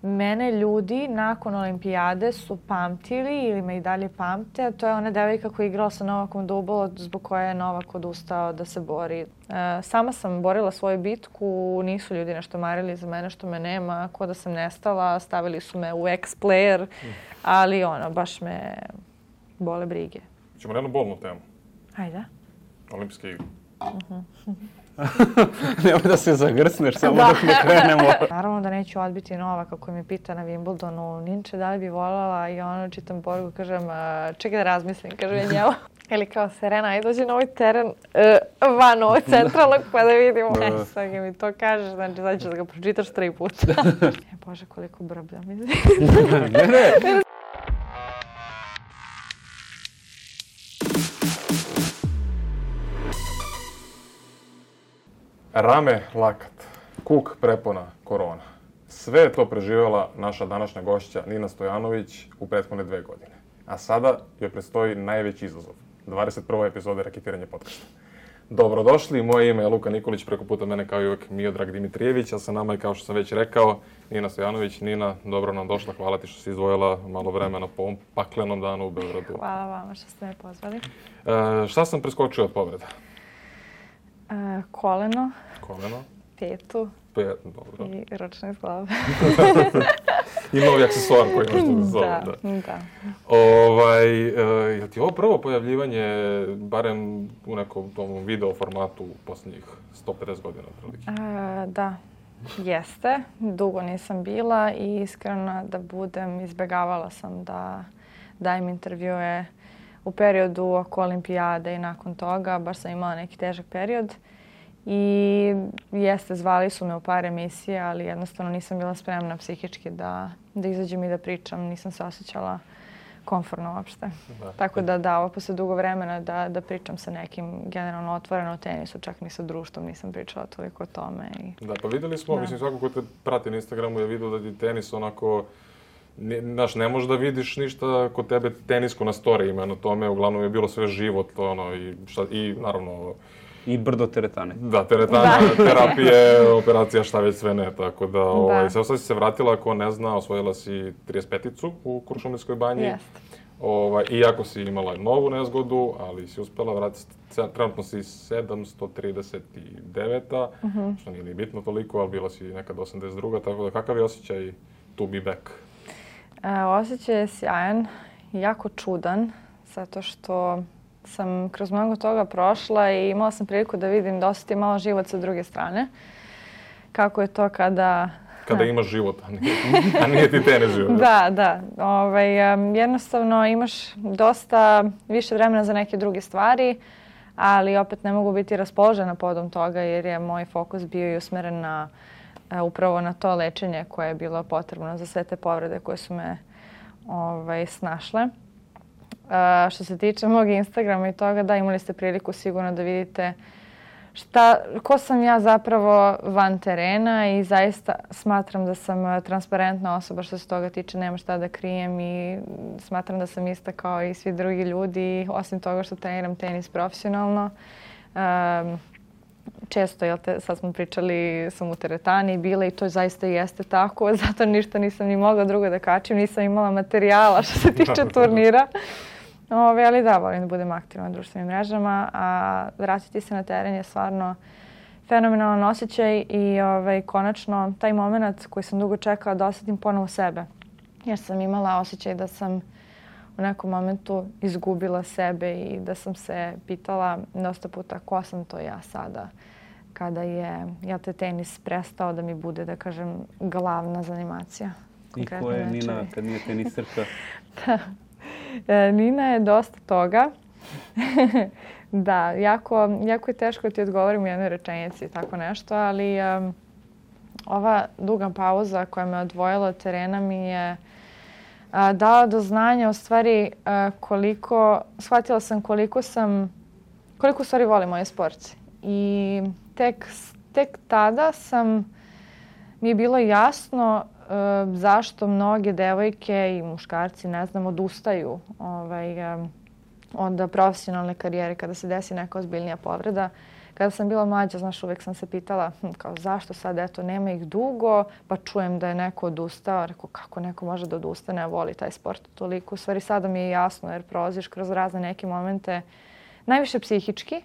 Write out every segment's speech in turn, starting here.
mene ljudi nakon olimpijade su pamtili ili me i dalje pamte. To je ona devojka koja je igrala sa Novakom Dubolo, zbog koje je Novak odustao da se bori. Sama sam borila svoju bitku, nisu ljudi nešto marili za mene što me nema, ko da sam nestala, stavili su me u ex-player, ali baš me bole brige. Ćemo na jednu bolnu temu. Ajde. Olimpijske igre. Nemoj da se zagrsneš, samo dok ne krenemo. Naravno da neću odbiti Novaka koji mi pita na Wimbledonu, Ninče, da li bi voljela, i čitam poruku, kažem, čekaj da razmislim, kažem ja njemu. Ili kao, Serena, ajde dođi na ovaj teren van ovog centralnog pa da vidimo. Sad mi to kažeš, znači sad ćeš da ga pročitaš 3 puta. Bože, koliko brblja mi. Ne. Rame, lakat, kuk, prepona, korona. Sve je to preživjela naša današnja gošća Nina Stojanović u prethodne 2 godine. A sada joj predstoji najveći izazov. 21. epizode Raketiranje podcasta. Dobrodošli, moje ime je Luka Nikolić, preko puta mene kao i uvijek Miodrag Dimitrijević, a sa nama je, kao što sam već rekao, Nina Stojanović. Nina, dobro nam došla, hvala ti što si izdvojila malo vremena po ovom paklenom danu u Beogradu. Hvala vama što ste me pozvali. Šta sam preskočio od povreda? Koleno, petu dobro. i ručni zglob. I novi aksesuar koji imaš tu za sobom. Da. Je ti ovo prvo pojavljivanje, barem u nekom tom video formatu u posljednjih 150 godina? Da, jeste. Dugo nisam bila i iskreno da budem, izbjegavala sam da dajem intervjue u periodu oko olimpijade i nakon toga. Baš sam imala neki težak period. I jeste, zvali su me u par emisija, ali jednostavno nisam bila spremna psihički da izađem i da pričam. Nisam se osjećala komfortno uopšte. Tako da ovo posle dugo vremena da pričam sa nekim generalno otvoreno o tenisu, čak ni sa društvom nisam pričala toliko o tome. Da, pa vidjeli smo, mislim svako ko te prati na Instagramu je vidio da ti tenis onako, ne možeš da vidiš ništa kod tebe tenisko na storijima, na tome uglavnom je bilo sve život, i naravno... I brdo teretane. Da, teretana, terapije, operacija, šta već sve ne, tako da, sad si se vratila, ako ne zna, osvojila si 35-icu u Kuršumlijskoj banji. Jeste. Iako si imala novu nezgodu, ali si uspjela vratiti, trenutno si 739-a, što nije ni bitno toliko, ali bila si nekad 82-a, tako da kakav je osjećaj to be back? Osjećaj je sjajan, jako čudan, zato što sam kroz mnogo toga prošla i imala sam priliku da vidim, da osjetim malo život sa druge strane. Kako je to kada... Kada imaš život, a nije ti tenis život. Da. Jednostavno imaš dosta više vremena za neke druge stvari, ali opet ne mogu biti raspoložena podom toga jer je moj fokus bio i usmeren upravo na to lečenje koje je bilo potrebno za sve te povrede koje su me snašle. Što se tiče mog Instagrama i toga, da, imali ste priliku sigurno da vidite ko sam ja zapravo van terena i zaista smatram da sam transparentna osoba što se toga tiče, nema šta da krijem i smatram da sam ista kao i svi drugi ljudi, osim toga što treniram tenis profesionalno. Često, sad smo pričali, sam u teretani bila i to zaista jeste tako, zato ništa nisam ni mogla drugo da kačim, nisam imala materijala što se tiče turnira. Ali da, volim da budem aktivna na društvenim mrežama, a vratiti se na teren je stvarno fenomenalan osjećaj i konačno taj moment koji sam dugo čekala da osjetim ponovo sebe. Jer sam imala osjećaj da sam u nekom momentu izgubila sebe i da sam se pitala dosta puta ko sam to ja sada kada je tenis prestao da mi bude, da kažem, glavna zanimacija. I ko je Nina kad nije tenisarka? Nina je dosta toga. Da, jako je teško ti odgovorim u jednoj rečenici tako nešto, ali ova duga pauza koja me odvojila od terena mi je dala do znanja u stvari shvatila sam koliko u stvari volim ovaj sport. I tek tada mi je bilo jasno zašto mnoge devojke i muškarci, odustaju od profesionalne karijere kada se desi neka ozbiljnija povreda. Kada sam bila mlađa, znaš, uvijek sam se pitala kao zašto sad, eto, nema ih dugo, pa čujem da je neko odustao. Rekao, kako neko može da odustane, a voli taj sport toliko. U stvari, sada mi je jasno jer prolaziš kroz razne neke momente, najviše psihički.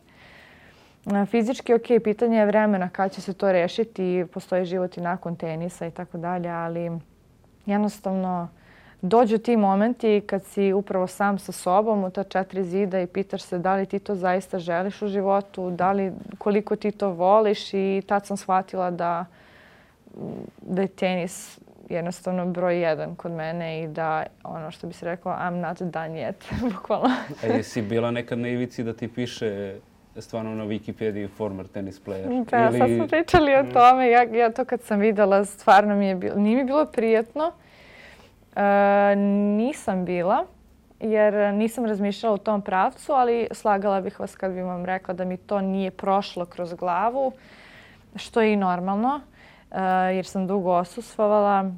Fizički, ok, pitanje je vremena kad će se to rešiti, postoji život i nakon tenisa i tako dalje, ali jednostavno dođu ti momenti kad si upravo sam sa sobom u ta 4 zida i pitaš se da li ti to zaista želiš u životu, koliko ti to voliš i tad sam shvatila da je tenis jednostavno broj 1 kod mene i da ono što bi se rekla I'm not done yet, bukvalno. A jesi bila nekad na ivici da ti piše stvarno na Wikipediji former tennis player? Pa sad smo pričali o tome. Ja to kad sam videla stvarno nije mi bilo prijetno. Nisam bila jer nisam razmišljala u tom pravcu, ali slagala bih vas kad bih vam rekla da mi to nije prošlo kroz glavu, što je i normalno jer sam dugo odsustvovala.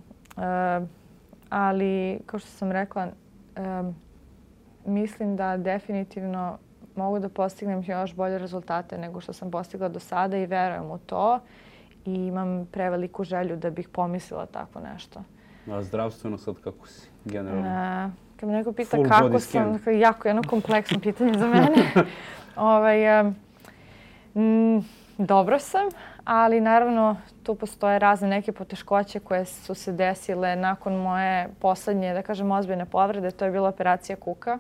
Ali kao što sam rekla, mislim da definitivno mogu da postignem još bolje rezultate nego što sam postigla do sada i verujem u to i imam preveliku želju da bih pomislila tako nešto. A zdravstveno sad kako si generalno? Kad me neko pita kako sam, jako jedno kompleksno pitanje za mene. Dobro sam, ali naravno tu postoje razne neke poteškoće koje su se desile nakon moje poslednje, da kažem, ozbiljne povrede. To je bila operacija kuka.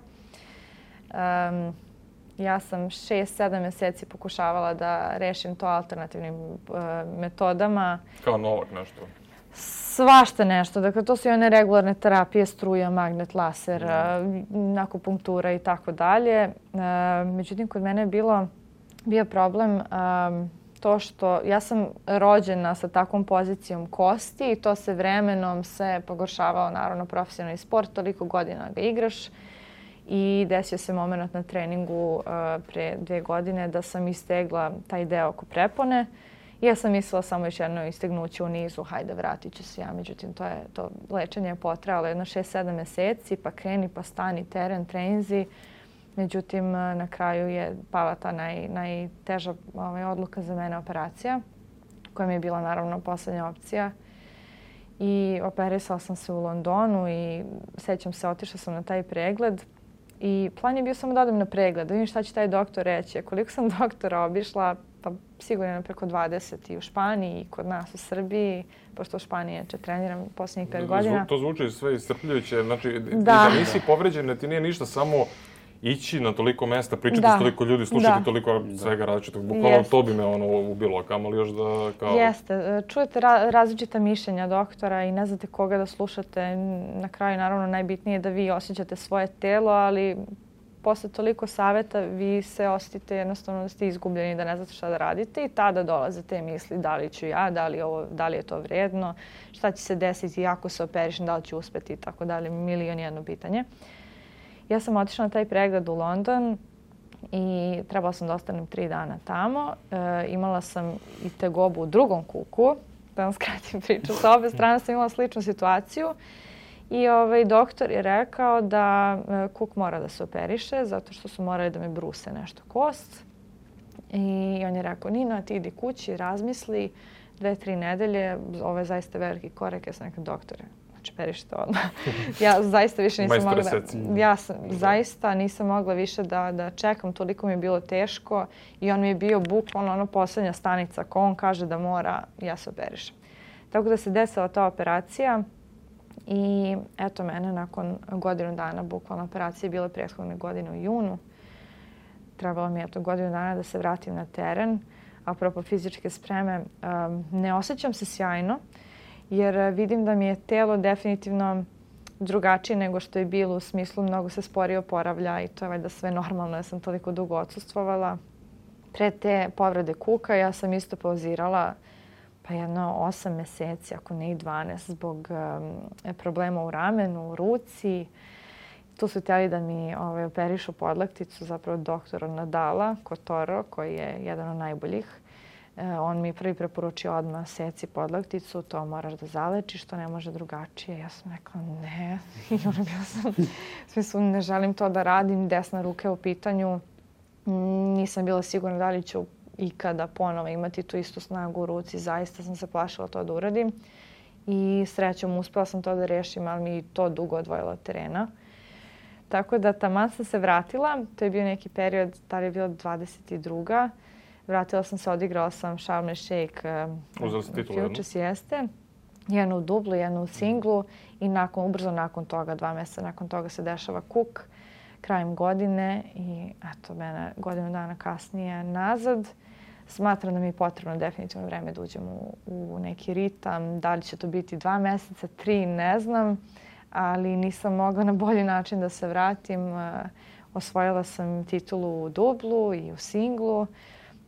Ja sam 6-7 mjeseci pokušavala da rešim to alternativnim metodama. Kao Novak nešto? Svašta nešto. Dakle, to su i one regularne terapije, struja, magnet, laser, akupunktura i tako dalje. Međutim, kod mene je bio problem to što ja sam rođena sa takvom pozicijom kosti i to se vremenom se pogoršavao, naravno, profesionalni sport. Toliko godina ga igraš. I desio se moment na treningu pre 2 godine da sam istegla taj deo oko prepone. I ja sam mislila samo još jedno istegnuće u nizu, hajde vratit ću se ja. Međutim, to lečenje je potrajalo jedno 6-7 mjeseci, pa kreni, pa stani, teren, treninzi. Međutim, na kraju je pala ta najteža odluka za mene, operacija, koja mi je bila naravno posljednja opcija. I operisala sam se u Londonu i sećam se, otišla sam na taj pregled. I plan je bio samo da odem na pregled, da vidim šta će taj doktor reći. Koliko sam doktora obišla, pa sigurno preko 20 i u Španiji i kod nas u Srbiji, pošto u Španiji treniram posljednjih 5 godina. To zvuči sve iscrpljujuće. Znači, da nisi povređena, ti nije ništa samo ići na toliko mesta, pričati s toliko ljudi, slušati toliko svega različitog. Bukvalno to bi me ubilo, kamoli još da kao... Jeste. Čujete različita mišljenja doktora i ne znate koga da slušate. Na kraju, naravno, najbitnije je da vi osjećate svoje telo, ali posle toliko savjeta vi se osjetite jednostavno da ste izgubljeni, da ne znate šta da radite i tada dolaze te misli da li ću ja, da li je to vrijedno, šta će se desiti ako se operišem, da li ću uspjeti i tako dalje, milion jedno pitanje. Ja sam otišla na taj pregled u London i trebala sam da ostanem 3 dana tamo. Imala sam i tegobu u drugom kuku, da vam skratim priču. Sa obe strane sam imala sličnu situaciju i doktor je rekao da kuk mora da se operiše zato što su morali da me bruse nešto kost. I on je rekao, Nina, ti idi kući, razmisli, 2-3 nedelje, ovo je zaista veliki korek. Ja sam rekao, doktore, operišite odmah. Ja zaista više nisam mogla zaista nisam mogla više da čekam, toliko mi je bilo teško i on mi je bio bukvalno posljednja stanica. Ko on kaže da mora, ja se operišem. Tako da se desila ta operacija i eto mene nakon godinu dana, bukvalno operacija je bila prethodne godine u junu. Trebalo mi je godinu dana da se vratim na teren. Apropo fizičke spreme, ne osjećam se sjajno, jer vidim da mi je telo definitivno drugačije nego što je bilo, u smislu mnogo se sporije oporavlja i to je valjda sve normalno, ja sam toliko dugo odsustvovala. Pre te povrede kuka ja sam isto pauzirala pa jedno 8 mjeseci, ako ne i 12, zbog problema u ramenu, u ruci. Tu su htjeli da mi operišu podlakticu, zapravo doktor Nadala Kotoro, koji je jedan od najboljih. On mi prvi preporučio odmah seci podlakticu, to moraš da zalečiš, to ne može drugačije. Ja sam rekla ne, i ona bila sam, u smislu ne želim to da radim, desna ruka je u pitanju. Nisam bila sigurna da li ću ikada ponovo imati tu istu snagu u ruci. Zaista sam se plašila to da uradim. I srećom uspela sam to da rešim, ali mi to dugo odvojilo od terena. Tako da taman sam se vratila. To je bio neki period, tada je bila 22. Vratila sam se, odigrala sam Sharm el Sheikh. Uzela si titulu jednu? Futures jeste. Jednu u dublu, jednu u singlu. I ubrzo nakon toga, 2 mjeseca nakon toga se dešava Cook krajem godine. I eto, mene godinu dana kasnije nazad. Smatram da mi je potrebno definitivno vreme da uđem u neki ritam. Da li će to biti 2 mjeseca, 3, ne znam. Ali nisam mogla na bolji način da se vratim. Osvojila sam titulu u dublu i u singlu.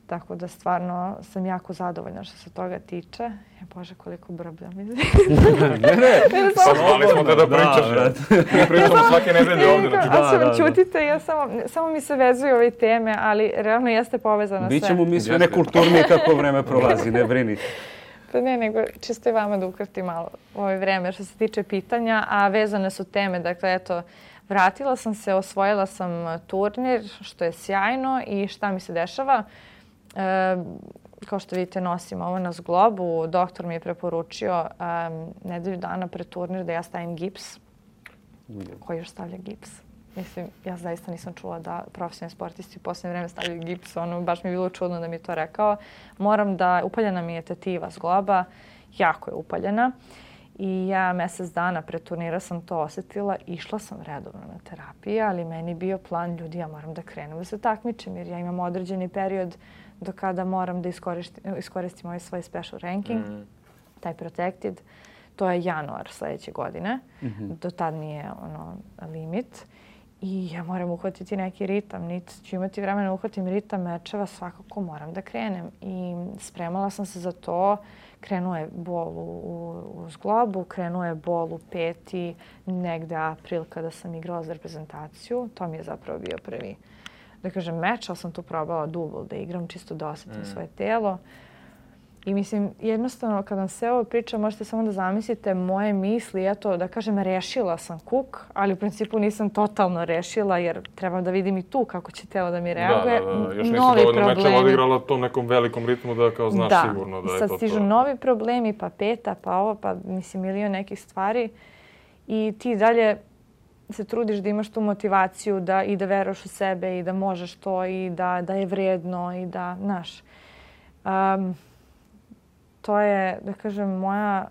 Tako da stvarno sam jako zadovoljna što se toga tiče. Bože, koliko brbljam. Ne. Zvali smo te da pričaš. Mi pričamo svake nedelje ovdje. Čutite, samo mi se vezuju ove teme, ali realno jeste povezano sve. Bićemo mi sve nekulturnije kako vreme prolazi, ne brini. Pa ne, nego čisto i vama da ukrtim malo ovo vreme što se tiče pitanja, a vezane su teme. Dakle, eto, vratila sam se, osvojila sam turnir, što je sjajno i šta mi se dešava. Kao što vidite, nosim ovo na zglobu. Doktor mi je preporučio nedelju dana pred turnir da ja stavim gips. Ko još stavlja gips? Mislim, ja zaista nisam čula da profesionalni sportisti u posljednje vreme stavljaju gips. Baš mi je bilo čudno da mi je to rekao. Upaljena mi je tetiva zgloba. Jako je upaljena. I ja mjesec dana pred turnira sam to osjetila. Išla sam redovno na terapiju, ali meni je bio plan, ljudi, ja moram da krenem da se takmičim jer ja imam određeni period do kada moram da iskoristim ovaj svoj special ranking, taj protected. To je januar sljedeće godine. Do tad mi je limit. I ja moram uhvatiti neki ritam. Niti ću imati vremena uhvatim ritam mečeva, svakako moram da krenem. I spremala sam se za to. Krenuo je bol u zglobu, krenuo je bol u peti, negde april kada sam igrala za reprezentaciju. To mi je zapravo bio prvi, da kažem, meč, ali sam tu probala dubl da igram, čisto da osjetim svoje telo. I mislim, jednostavno, kad vam sve ovo pričam, možete samo da zamislite moje misli. Eto, da kažem, rešila sam Cook, ali u principu nisam totalno rešila, jer trebam da vidim i tu kako će telo da mi reaguje. Da. Još nisi dovoljno mečeva odigrala tom nekom velikom ritmu da kao znaš sigurno da je to to. Sad stižu novi problemi, pa peta, pa ovo, pa mislim milion nekih stvari. I ti dalje se trudiš da imaš tu motivaciju i da veruješ u sebe i da možeš to i da je vredno i da, znaš. To je, da kažem, moja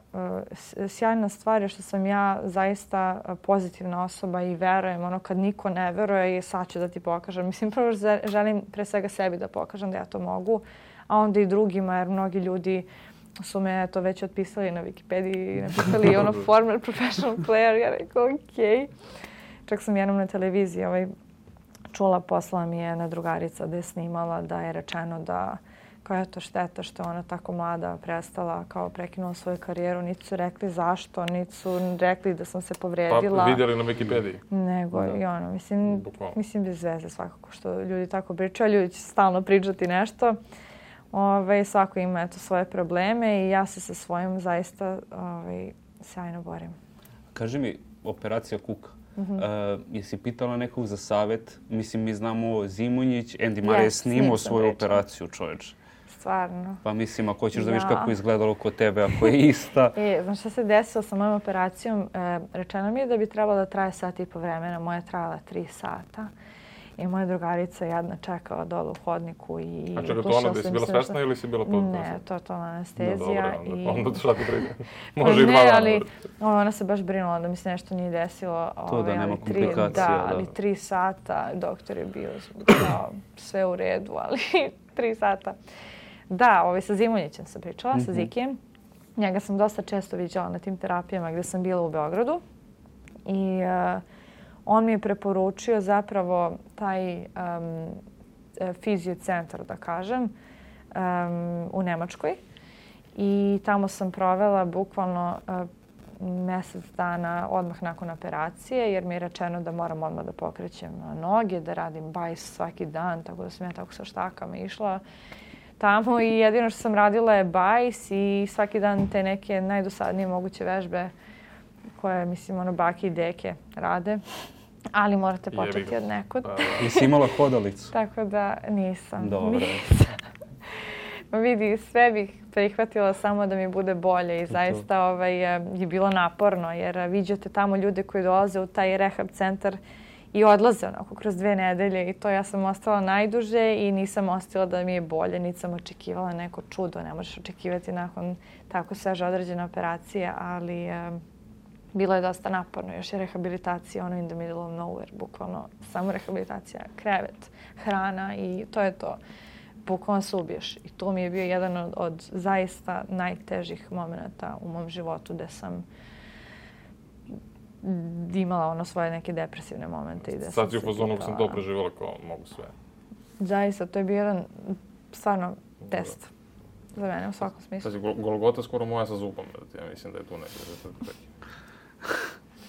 sjajna stvar je što sam ja zaista pozitivna osoba i verujem. Kad niko ne veruje, sad ću da ti pokažem. Mislim, prvo želim pre svega sebi da pokažem da ja to mogu, a onda i drugima, jer mnogi ljudi su me to već otpisali na Wikipediji i napisali former professional player. Ja rekao, okej. Čak sam jednom na televiziji čula, poslala mi je jedna drugarica da je snimala, da je rečeno da koja je to šteta što je ona tako mlada prestala, kao prekinula svoju karijeru. Niti su rekli zašto, niti su rekli da sam se povrijedila. Pa vidjeli na Wikipediji. Nego i mislim bez veze svakako što ljudi tako pričaju. Ljudi će stalno pričati nešto. Svako ima svoje probleme i ja se sa svojim zaista sjajno borim. Kaži mi, operacija Cook. Jesi pitala nekog za savjet? Mislim, mi znamo Zimonjić, Andy Murray je snimao svoju operaciju, čovječ. Stvarno. Pa mislim, ako hoćeš da vidiš kako je izgledalo kod tebe, ako je ista. Znaš šta se desilo sa mojom operacijom? Rečeno mi je da bi trebalo da traje 1.5 sata vremena. Moja je trajala 3 sata. I moja drugarica jadna čekala dole u hodniku i... A čekaj, to ona da si bila svesna ili si bila potpuno? Ne, to je anestezija. Onda šta ti brine? Može i 2 dana. Ne, ali ona se baš brinula da mi se nešto nije desilo. To da nema komplikacija. Da, ali 3 sata, doktor je bio sve u redu, ali 3 sata. Da, sa Zimonjićem sam pričala, sa Zikijem. Njega sam dosta često viđala na tim terapijama gdje sam bila u Beogradu. I on mi je preporučio zapravo taj fiziocentar, da kažem, u Nemačkoj. I tamo sam provela bukvalno mjesec dana odmah nakon operacije, jer mi je rečeno da moram odmah da pokrećem noge, da radim bajs svaki dan, tako da sam ja tako sa štakama išla tamo i jedino što sam radila je bajs i svaki dan te neke najdosadnije moguće vežbe koje, mislim, bake i deke rade. Ali morate početi od nekud. Jesi imala hodalicu? Tako da nisam. Dobro. Vidi, sve bih prihvatila samo da mi bude bolje i zaista je bilo naporno jer viđate tamo ljude koji dolaze u taj rehab centar i odlaze onako kroz 2 nedelje i to ja sam ostala najduže i nisam ostala da mi je bolje, niti sam očekivala neko čudo. Ne možeš očekivati nakon tako sveže određene operacije, ali bilo je dosta naporno. Još je rehabilitacija, ono in the middle of nowhere, bukvalno samo rehabilitacija, krevet, hrana i to je to. Bukvalno se ubiješ. I to mi je bio jedan od zaista najtežih momenta u mom životu gde sam imala svoje neke depresivne momente. Sad si u fazonu sam to preživjela kao mogu sve. Zaista, to je bio jedan stvarno test za mene u svakom smislu. Sad si Golgota skoro moja sa zubom, ja mislim da je tu neki.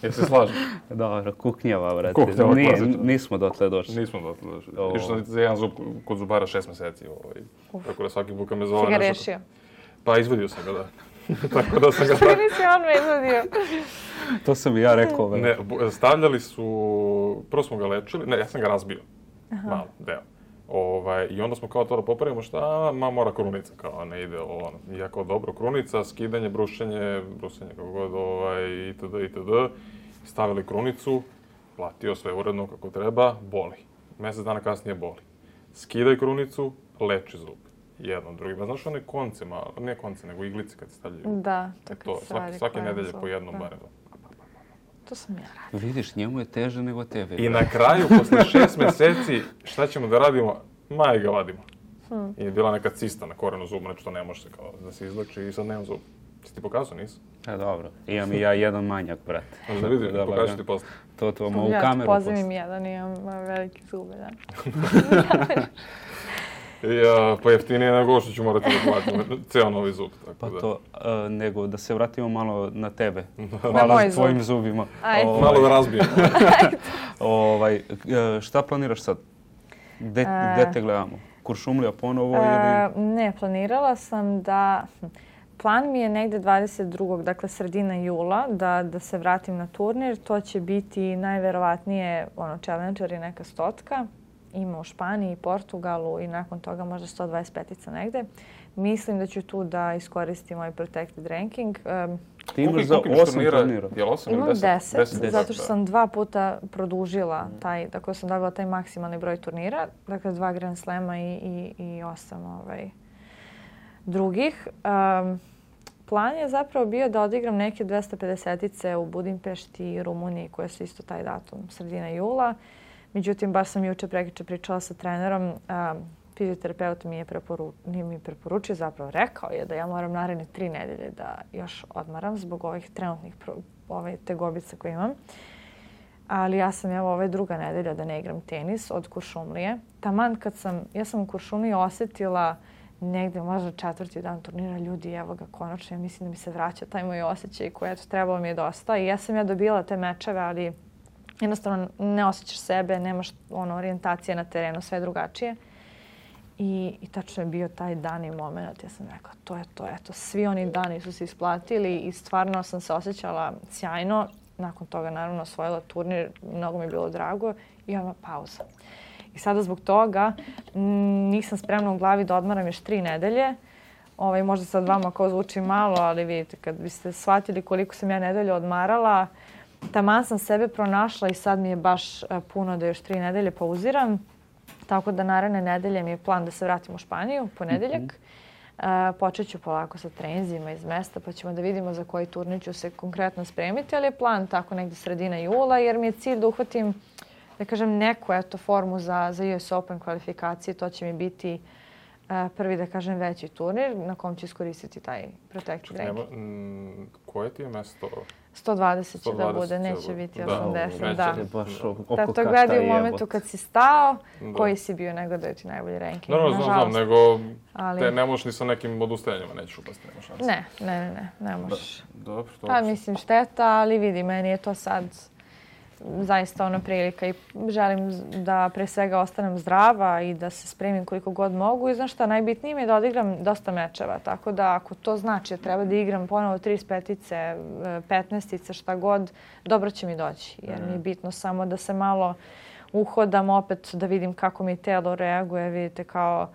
Jesi se slažem? Dobro, kuknjava, brate. Nismo dotle došli. Nismo dotle došli. Išao sam za jedan zub kod zubara 6 mjeseci. Tako da svaki put kad me zove... Si ga rešio? Pa izvadio sam ga, da. Tako da sam ga... Što nisi odmah izvadio? To sam i ja rekao. Ne, stavljali su... Prvo smo ga lečili. Ne, ja sam ga razbio. Malo, deo. I onda smo kao to da popravimo šta, mora krunica, kao ne ide ovo. I ja kao dobro, krunica, skidanje, brušenje kako god, itd. Stavili krunicu, platio sve uredno kako treba, boli. Mjesec dana kasnije boli. Skidaj krunicu, leči zub. Jedno, drugi. Znaš one konce, ne konce, nego iglice kad se stavljaju. Da, to kad se radi. Svake nedelje po jednom barem. To sam ja radila. Vidiš, njemu je teže nego tebe. I na kraju, posle 6 mjeseci, šta ćemo da radimo? Maj ga vadimo. I je bila neka cista na korenu zuba, znači to ne može se kao da se izleči i sad nemam zub. Si ti pokazao, nisi? Dobro. Imam i ja jedan manjak, brate. Možda da vidim, pokažu ti posle. To vam ovu kameru posle. Ja pozivim jedan, imam velike zube, da. Pa jeftinije nego što ću morati da platim ceo novi zub. Pa to, nego da se vratimo malo na tebe. Malo s tvojim zubima. Malo da razbijem. Šta planiraš sad? Gde te gledamo? Kuršumlija ponovo ili... Ne, planirala sam da... Plan mi je negde 22. dakle sredina jula da se vratim na turnir. To će biti najverovatnije Challenger i neka 100-ka. Ima u Španiji, Portugalu i nakon toga možda 125-ica negde. Mislim da ću tu da iskoristim moj protected ranking. Ti imaš za 8 turnira? Imam 10, zato što sam 2 puta produžila taj, tako sam dobila taj maksimalni broj turnira. Dakle, 2 Grand Slema i 8 drugih. Plan je zapravo bio da odigram neke 250-ice u Budimpešti i Rumuniji, koje su isto taj datum, sredina jula. Međutim, baš sam juče prekjuče pričala sa trenerom. Fizioterapeut nije mi preporučio, zapravo rekao je da ja moram naredne 3 nedelje da još odmaram zbog ovih trenutnih tegobica koje imam. Ali ja sam druga nedelja da ne igram tenis od Kuršumlije. Taman kad ja sam u Kuršumliji osjetila negde možda 4. dan turnira, ljudi, evo ga konačno, ja mislim da mi se vraća taj moj osjećaj koji trebalo mi je dosta. I ja sam dobila te mečeve, ali jednostavno ne osjećaš sebe, nemaš orijentacije na terenu, sve drugačije. I tačno je bio taj dan i moment. Ja sam rekla, to je to, eto, svi oni dani su se isplatili i stvarno sam se osjećala sjajno. Nakon toga, naravno, osvojila turnir, mnogo mi je bilo drago i odmah pauza. I sada zbog toga nisam spremna u glavi da odmaram još 3 nedelje. Možda sad vama kao zvuči malo, ali vidite, kad biste shvatili koliko sam ja nedelje odmarala, taman sam sebe pronašla i sad mi je baš puno da još 3 nedelje pauziram. Tako da naredne nedelje mi je plan da se vratim u Španiju, ponedeljak. Počet ću polako sa treninzima iz mesta, pa ćemo da vidimo za koji turnir ću se konkretno spremiti, ali je plan tako negdje sredina jula, jer mi je cilj da uhvatim, da kažem, neku formu za US Open kvalifikacije. To će mi biti prvi, da kažem, veći turnir na kom ću iskoristiti taj protected ranking. Koje ti je mesto? 120 će da bude, neće biti 80. Da. To gledaj u momentu kad si stao, koji si bio, nego da je ti najbolji ranking. Znam, nego ne možeš ni sa nekim odustajanjima, nećeš upasti, nema šanse. Ne možeš. Dobro. Pa mislim šteta, ali vidi, meni je to sad zaista prilika i želim da pre svega ostanem zdrava i da se spremim koliko god mogu. I znaš šta, najbitnije mi je da odigram dosta mečeva, tako da ako to znači da treba da igram ponovo 35-ice, 15-ice, šta god, dobro će mi doći. Jer mi je bitno samo da se malo uhodam opet, da vidim kako mi telo reaguje. Vidite, kao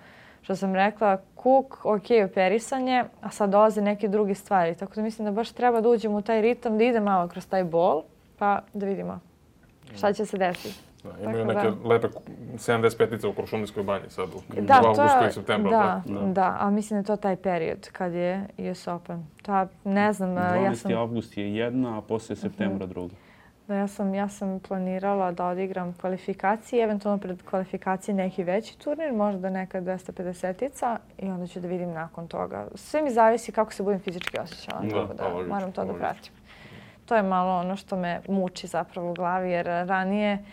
što sam rekla, Cook, ok, operisanje, a sad dolaze neke druge stvari. Tako da mislim da baš treba da uđemo u taj ritam, da ide malo kroz taj bol, pa da vidimo šta će se desiti. Da, imaju neke lepe 75-ice u Kuršumlijskoj banji sad u avgustu i septembru. Da, ali mislim da je to taj period kad je US Open. To, ne znam, 12. avgust je jedna, a poslije septembra druga. Da, ja sam planirala da odigram kvalifikacije, eventualno pred kvalifikacije neki veći turnir, možda neka 250-ica i onda ću da vidim nakon toga. Sve mi zavisi kako se budem fizički osjećala, tako da moram to da pratim. To je malo ono što me muči zapravo u glavi, jer ranije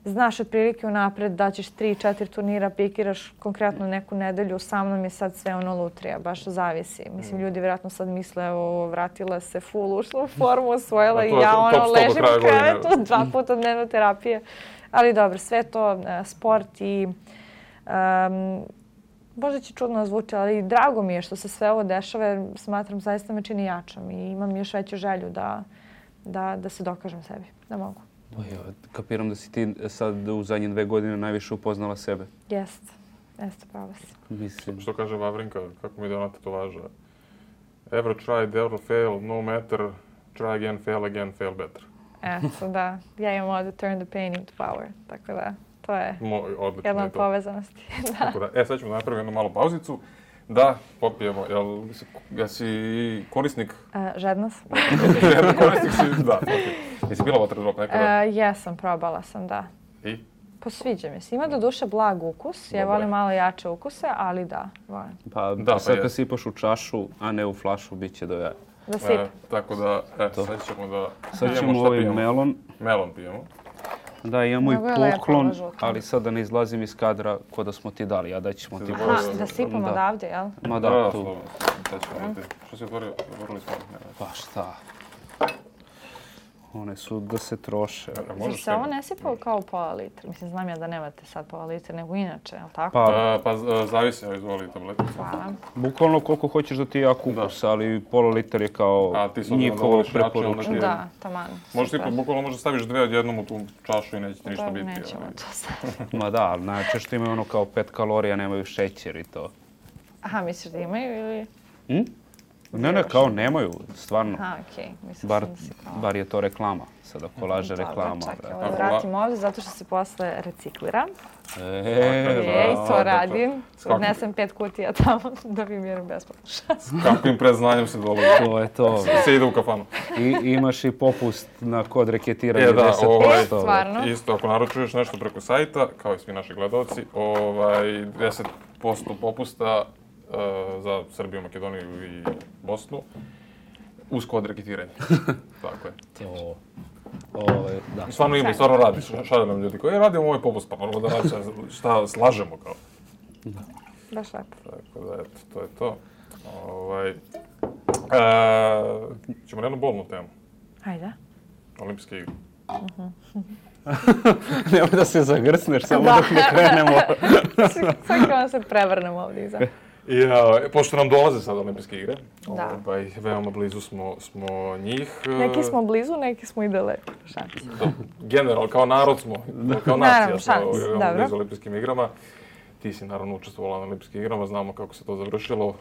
znaš otprilike unapred da ćeš 3-4 turnira, pikiraš konkretno neku nedelju, sa mnom je sad sve ono lutrija, baš zavisi. Mislim, ljudi vjerojatno sad misle, evo, vratila se full, ušla u formu, osvojila i ja ono ležim u krevetu, 2 puta dnevno terapije. Ali dobro, sve to sport i možda će čudno zvuči, ali drago mi je što se sve ovo dešava, jer smatram zaista me čini jačom i imam još veću želju da se dokažem sebi, da mogu. Kapiram da si ti sad u zadnje 2 godine najviše upoznala sebe. Jeste, pravo si. Mislim. Što kaže Vavrinka, kako mi da ona tetovaža? Ever tried, ever fail, no matter, try again, fail better. Eto, da. Ja imam ovdje turn the pain into power, tako da to je jedna od povezanosti. Sad ćemo napraviti jednu malu pauzicu. Da, popijemo. Jesi korisnik? Žedna sam. Korisnik si, da. Jesi bila water drop nekada? Jesam, probala sam, da. I? Pa sviđa mi se. Ima do duše blag ukus. Ja volim malo jače ukuse, ali da, volim. Pa sad kad sipaš u čašu, a ne u flašu, bit će do jaja. Da sip. Tako da, sad ćemo ovaj melon. Melon pijemo. Da, imamo i poklon, ali sad da ne izlazim iz kadra ko da smo ti dali, a da ćemo ti... Da sipamo odavde, jel? Ma da, tu. Što si otvorili smo? Pa šta? One su da se troše. Znači se ovo ne sipa kao pola litra? Mislim, znam ja da nemate sad pola litra, nego inače, jel tako? Pa zavisi, izvoli tableticu. Hvala. Bukvalno koliko hoćeš da ti ja kukus, ali pola litra je kao njihovo preporučenje. Da, taman. Bukvalno možda staviš 2 odjednom u tu čašu i neće ti ništa biti. Nećemo to staviti. Ma da, najčešće imaju ono kao 5 kalorija, nemaju šećer i to. Aha, misliš da imaju ili? Ne, kao nemaju, stvarno. Aha, okej. Bar je to reklama, sad ako laže reklama. Čekaj, vratim ovdje zato što se posle reciklira. To radim. Odnesem 5 kutija tamo da bi mirim besplatno šans. S kakvim predznanjem se dolazi. To je to. Se ide u kafanu. I imaš i popust na kod reketiranja 10%. Stvarno. Isto, ako naručuješ nešto preko sajta, kao i svi naši gledalci, 10% popusta za Srbiju, Makedoniju i Bosnu uz kod reketiranja. Tako je. Stvarno ima i stvarno radi. Šalje nam ljudi koji radimo ovaj popust, pa moramo da radi šta slažemo kao. Baš lepo. Tako da, eto, to je to. Ćemo na jednu bolnu temu. Ajde. Olimpijske igre. Nemoj da se zagrsneš, samo dok ne krenemo. Sad kao se prevrnemo ovdje iza. Pošto nam dolaze sad Olimpijske igre, da. Veoma blizu smo njih. Neki smo blizu, neki smo i daleko. Generalno, kao narod smo, kao nacija smo blizu Olimpijskim igrama. Ti si naravno učestvovala na Olimpijskim igrama, znamo kako se to završilo.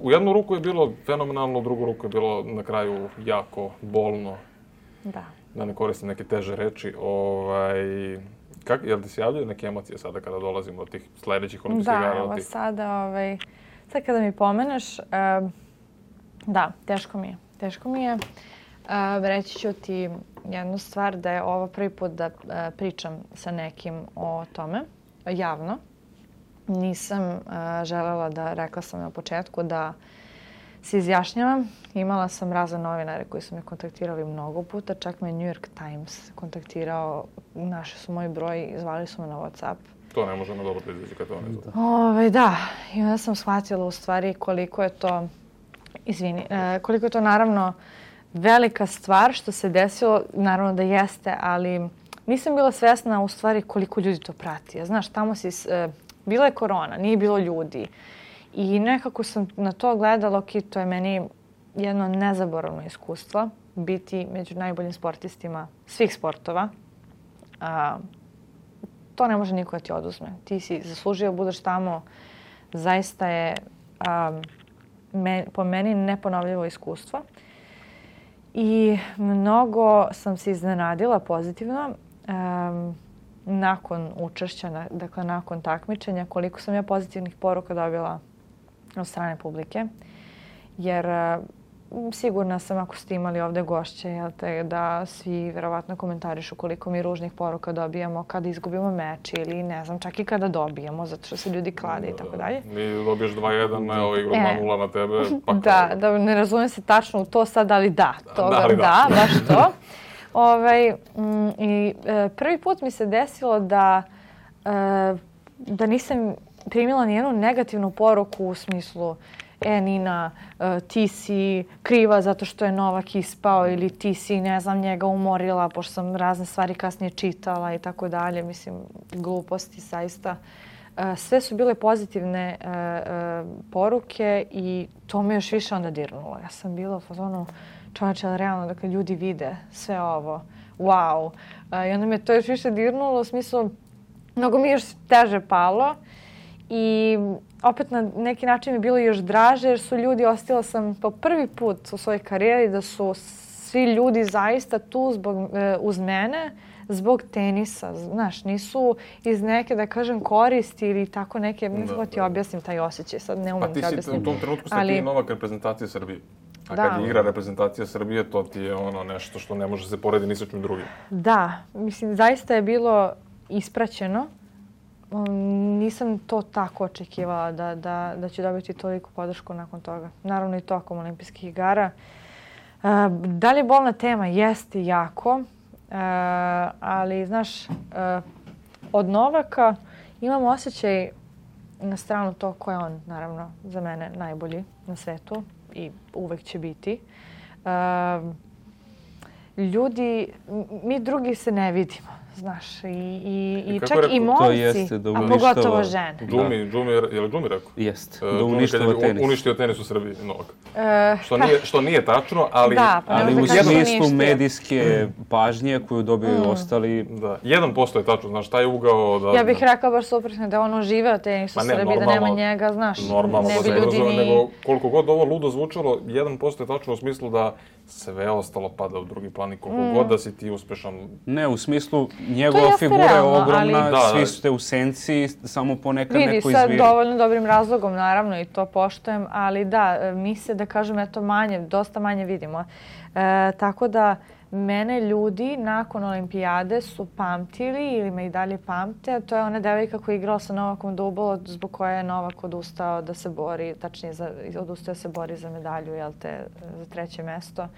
U jednu ruku je bilo fenomenalno, u drugu ruku je bilo na kraju jako bolno. Da ne koristim neke teže reči. Jel ti se javljaju neke emocije sada kada dolazimo od tih sljedećih olimpijskih igara? Da, evo sada kada mi pomeneš, da, teško mi je. Reći ću ti jednu stvar, da je ovo prvi put da pričam sa nekim o tome, javno. Nisam želela rekla sam na početku da se izjašnjavam. Imala sam razne novinare koji su me kontaktirali mnogo puta, čak me New York Times kontaktirao, našli su moj broj i zvali su me na WhatsApp. To ne može na dobro da izađe kad to ne zna. Da, i onda sam shvatila u stvari koliko je to naravno velika stvar što se desilo, naravno da jeste, ali nisam bila svjesna u stvari koliko ljudi to prati. Znaš, tamo bila je korona, nije bilo ljudi. I nekako sam na to gledala, to je meni jedno nezaboravno iskustvo, biti među najboljim sportistima svih sportova. To ne može niko da ti oduzme. Ti si zaslužio, budeš tamo zaista je po meni neponovljivo iskustvo. I mnogo sam se iznenadila pozitivno nakon učešća, dakle nakon takmičenja, koliko sam ja pozitivnih poruka dobila od strane publike. Jer sigurna sam, ako ste imali ovde gošće, da svi verovatno komentarišu koliko mi ružnih poruka dobijamo kada izgubimo meč ili ne znam, čak i kada dobijemo, zato što se ljudi klade i tako dalje. Mi dobiješ 2-1, evo igru 2-0 na tebe. Pa da, ne razumijem se tačno u to sad, ali da, baš to. I prvi put mi se desilo da nisam primila nijednu negativnu poruku u smislu Nina, ti si kriva zato što je Novak ispao ili ti si, ne znam, njega umorila, pošto sam razne stvari kasnije čitala i tako dalje. Mislim, gluposti zaista. Sve su bile pozitivne poruke i to me još više onda dirnulo. Ja sam bila u fazonu, čovječe, ali realno, dakle, ljudi vide sve ovo. Wow. I onda me to još više dirnulo, u smislu, mnogo mi još teže palo. I opet na neki način mi bilo još draže jer su ljudi, osjetila sam po prvi put u svojoj karijeri da su svi ljudi zaista tu uz mene zbog tenisa. Znaš, nisu iz neke, da kažem, koristi ili tako neke, ne znam ti objasnim taj osjećaj, sad ne umem ti objasnim. Pa ti si u tom trenutku ti Novak reprezentacije Srbije. A kad igra reprezentacija Srbije, to ti je ono nešto što ne može se porediti ni sa čim drugim. Da, mislim, zaista je bilo ispraćeno. Nisam to tako očekivala da ću dobiti toliku podršku nakon toga. Naravno i tokom olimpijskih igara. Da li je bolna tema? Jeste jako. Ali, znaš, od Novaka imam osjećaj na stranu to ko je on, naravno, za mene najbolji na svetu i uvek će biti. Ljudi, mi drugi se ne vidimo. Znaš, i čak i momci, a pogotovo žene. Je li Džumi rekao? Jeste, da uništava tenis. Uništio tenis u Srbiji, Novak. Što nije tačno, ali... Ali u smislu medijske pažnje koju dobiju ostali... Da, 1% je tačno, znaš, taj ugao... Ja bih rekao baš suprotno, da on živeo tenis u Srbiji, da nema njega, znaš, ne bi ljudi ni... Nego, koliko god ovo ludo zvučalo, 1% je tačno u smislu da sve ostalo pada u drugi plan i koliko god da si ti uspešan. Ne, u smislu njegova figura je ogromna, svi ste u senci, samo ponekad neko izviri. Vidi, sa dovoljno dobrim razlogom, naravno, i to poštujem, ali da, mi se, da kažem, eto manje, dosta manje vidimo. Tako da, mene ljudi nakon olimpijade su pamtili ili me i dalje pamte. To je ona devojka koja je igrala sa Novakom Dubol, zbog koje je Novak odustao da se bori, tačnije odustao da se bori za medalju, za 3. mesto.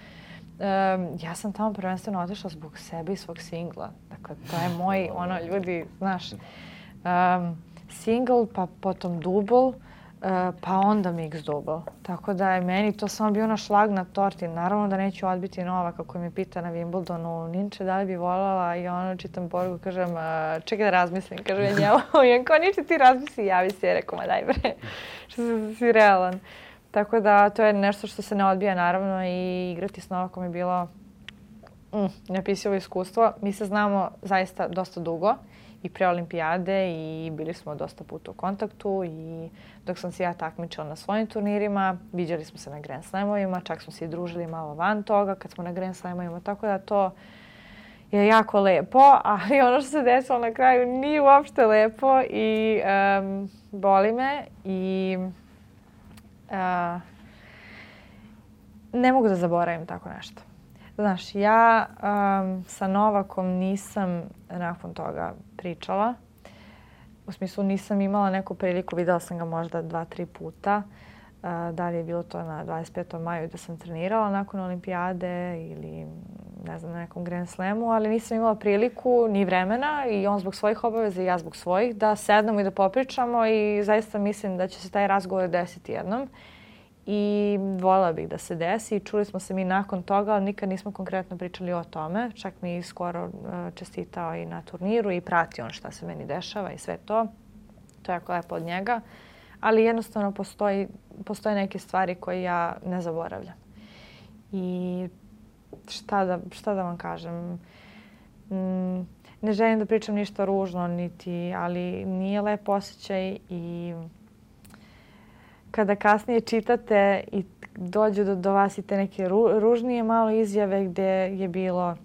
Ja sam tamo prvenstveno otišla zbog sebe i svog singla. Dakle, to je moj, ljudi, znaš, single, pa potom dubl, pa onda mix dubl. Tako da je meni to samo bio šlag na torti. Naravno da neću odbiti Novaka koji me pita na Wimbledonu, Ninče, da li bi voljela, i čitam poruku, kažem, čekaj da razmislim, kažem ja njemu. I on kao, Ninče, ti razmisli, javi se, rekao, ma daj bre, što si realan. Tako da to je nešto što se ne odbija, naravno, i igrati s Novakom je bilo neopisivo iskustvo. Mi se znamo zaista dosta dugo i pre olimpijade i bili smo dosta puta u kontaktu i dok sam se ja takmičila na svojim turnirima, viđali smo se na Grand Slamovima, čak smo se i družili malo van toga kad smo na Grand Slamovima, tako da to je jako lepo, ali ono što se desilo na kraju nije uopšte lepo i boli me i ne mogu da zaboravim tako nešto. Znaš, ja sa Novakom nisam nakon toga pričala. U smislu nisam imala neku priliku, videla sam ga možda 2-3 puta. Da li je bilo to na 25. maju da sam trenirala nakon olimpijade ili ne znam, na nekom Grand Slamu, ali nisam imala priliku ni vremena i on zbog svojih obaveza i ja zbog svojih da sednemo i da popričamo i zaista mislim da će se taj razgovor desiti jednom. I voljela bih da se desi i čuli smo se mi nakon toga, ali nikad nismo konkretno pričali o tome. Čak mi je skoro čestitao i na turniru i prati on šta se meni dešava i sve to. To je jako lepo od njega. Ali jednostavno postoje neke stvari koje ja ne zaboravljam. I šta da vam kažem? Ne želim da pričam ništa ružno, ali nije lep osjećaj i kada kasnije čitate i dođu do vas i te neke ružnije malo izjave gdje je bilo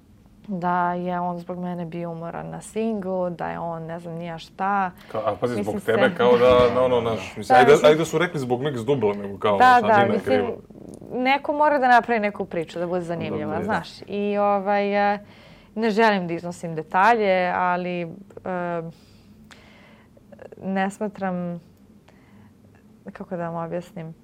da je on zbog mene bio umoran na singlu, da je on ne znam nija šta. A pazi, zbog tebe kao da, naš, mislim, ajde da su rekli zbog Mix Dubla, nego kao da, mislim, neko mora da napravi neku priču, da bude zanimljiva, znaš. I ne želim da iznosim detalje, ali ne smatram, kako da vam objasnim,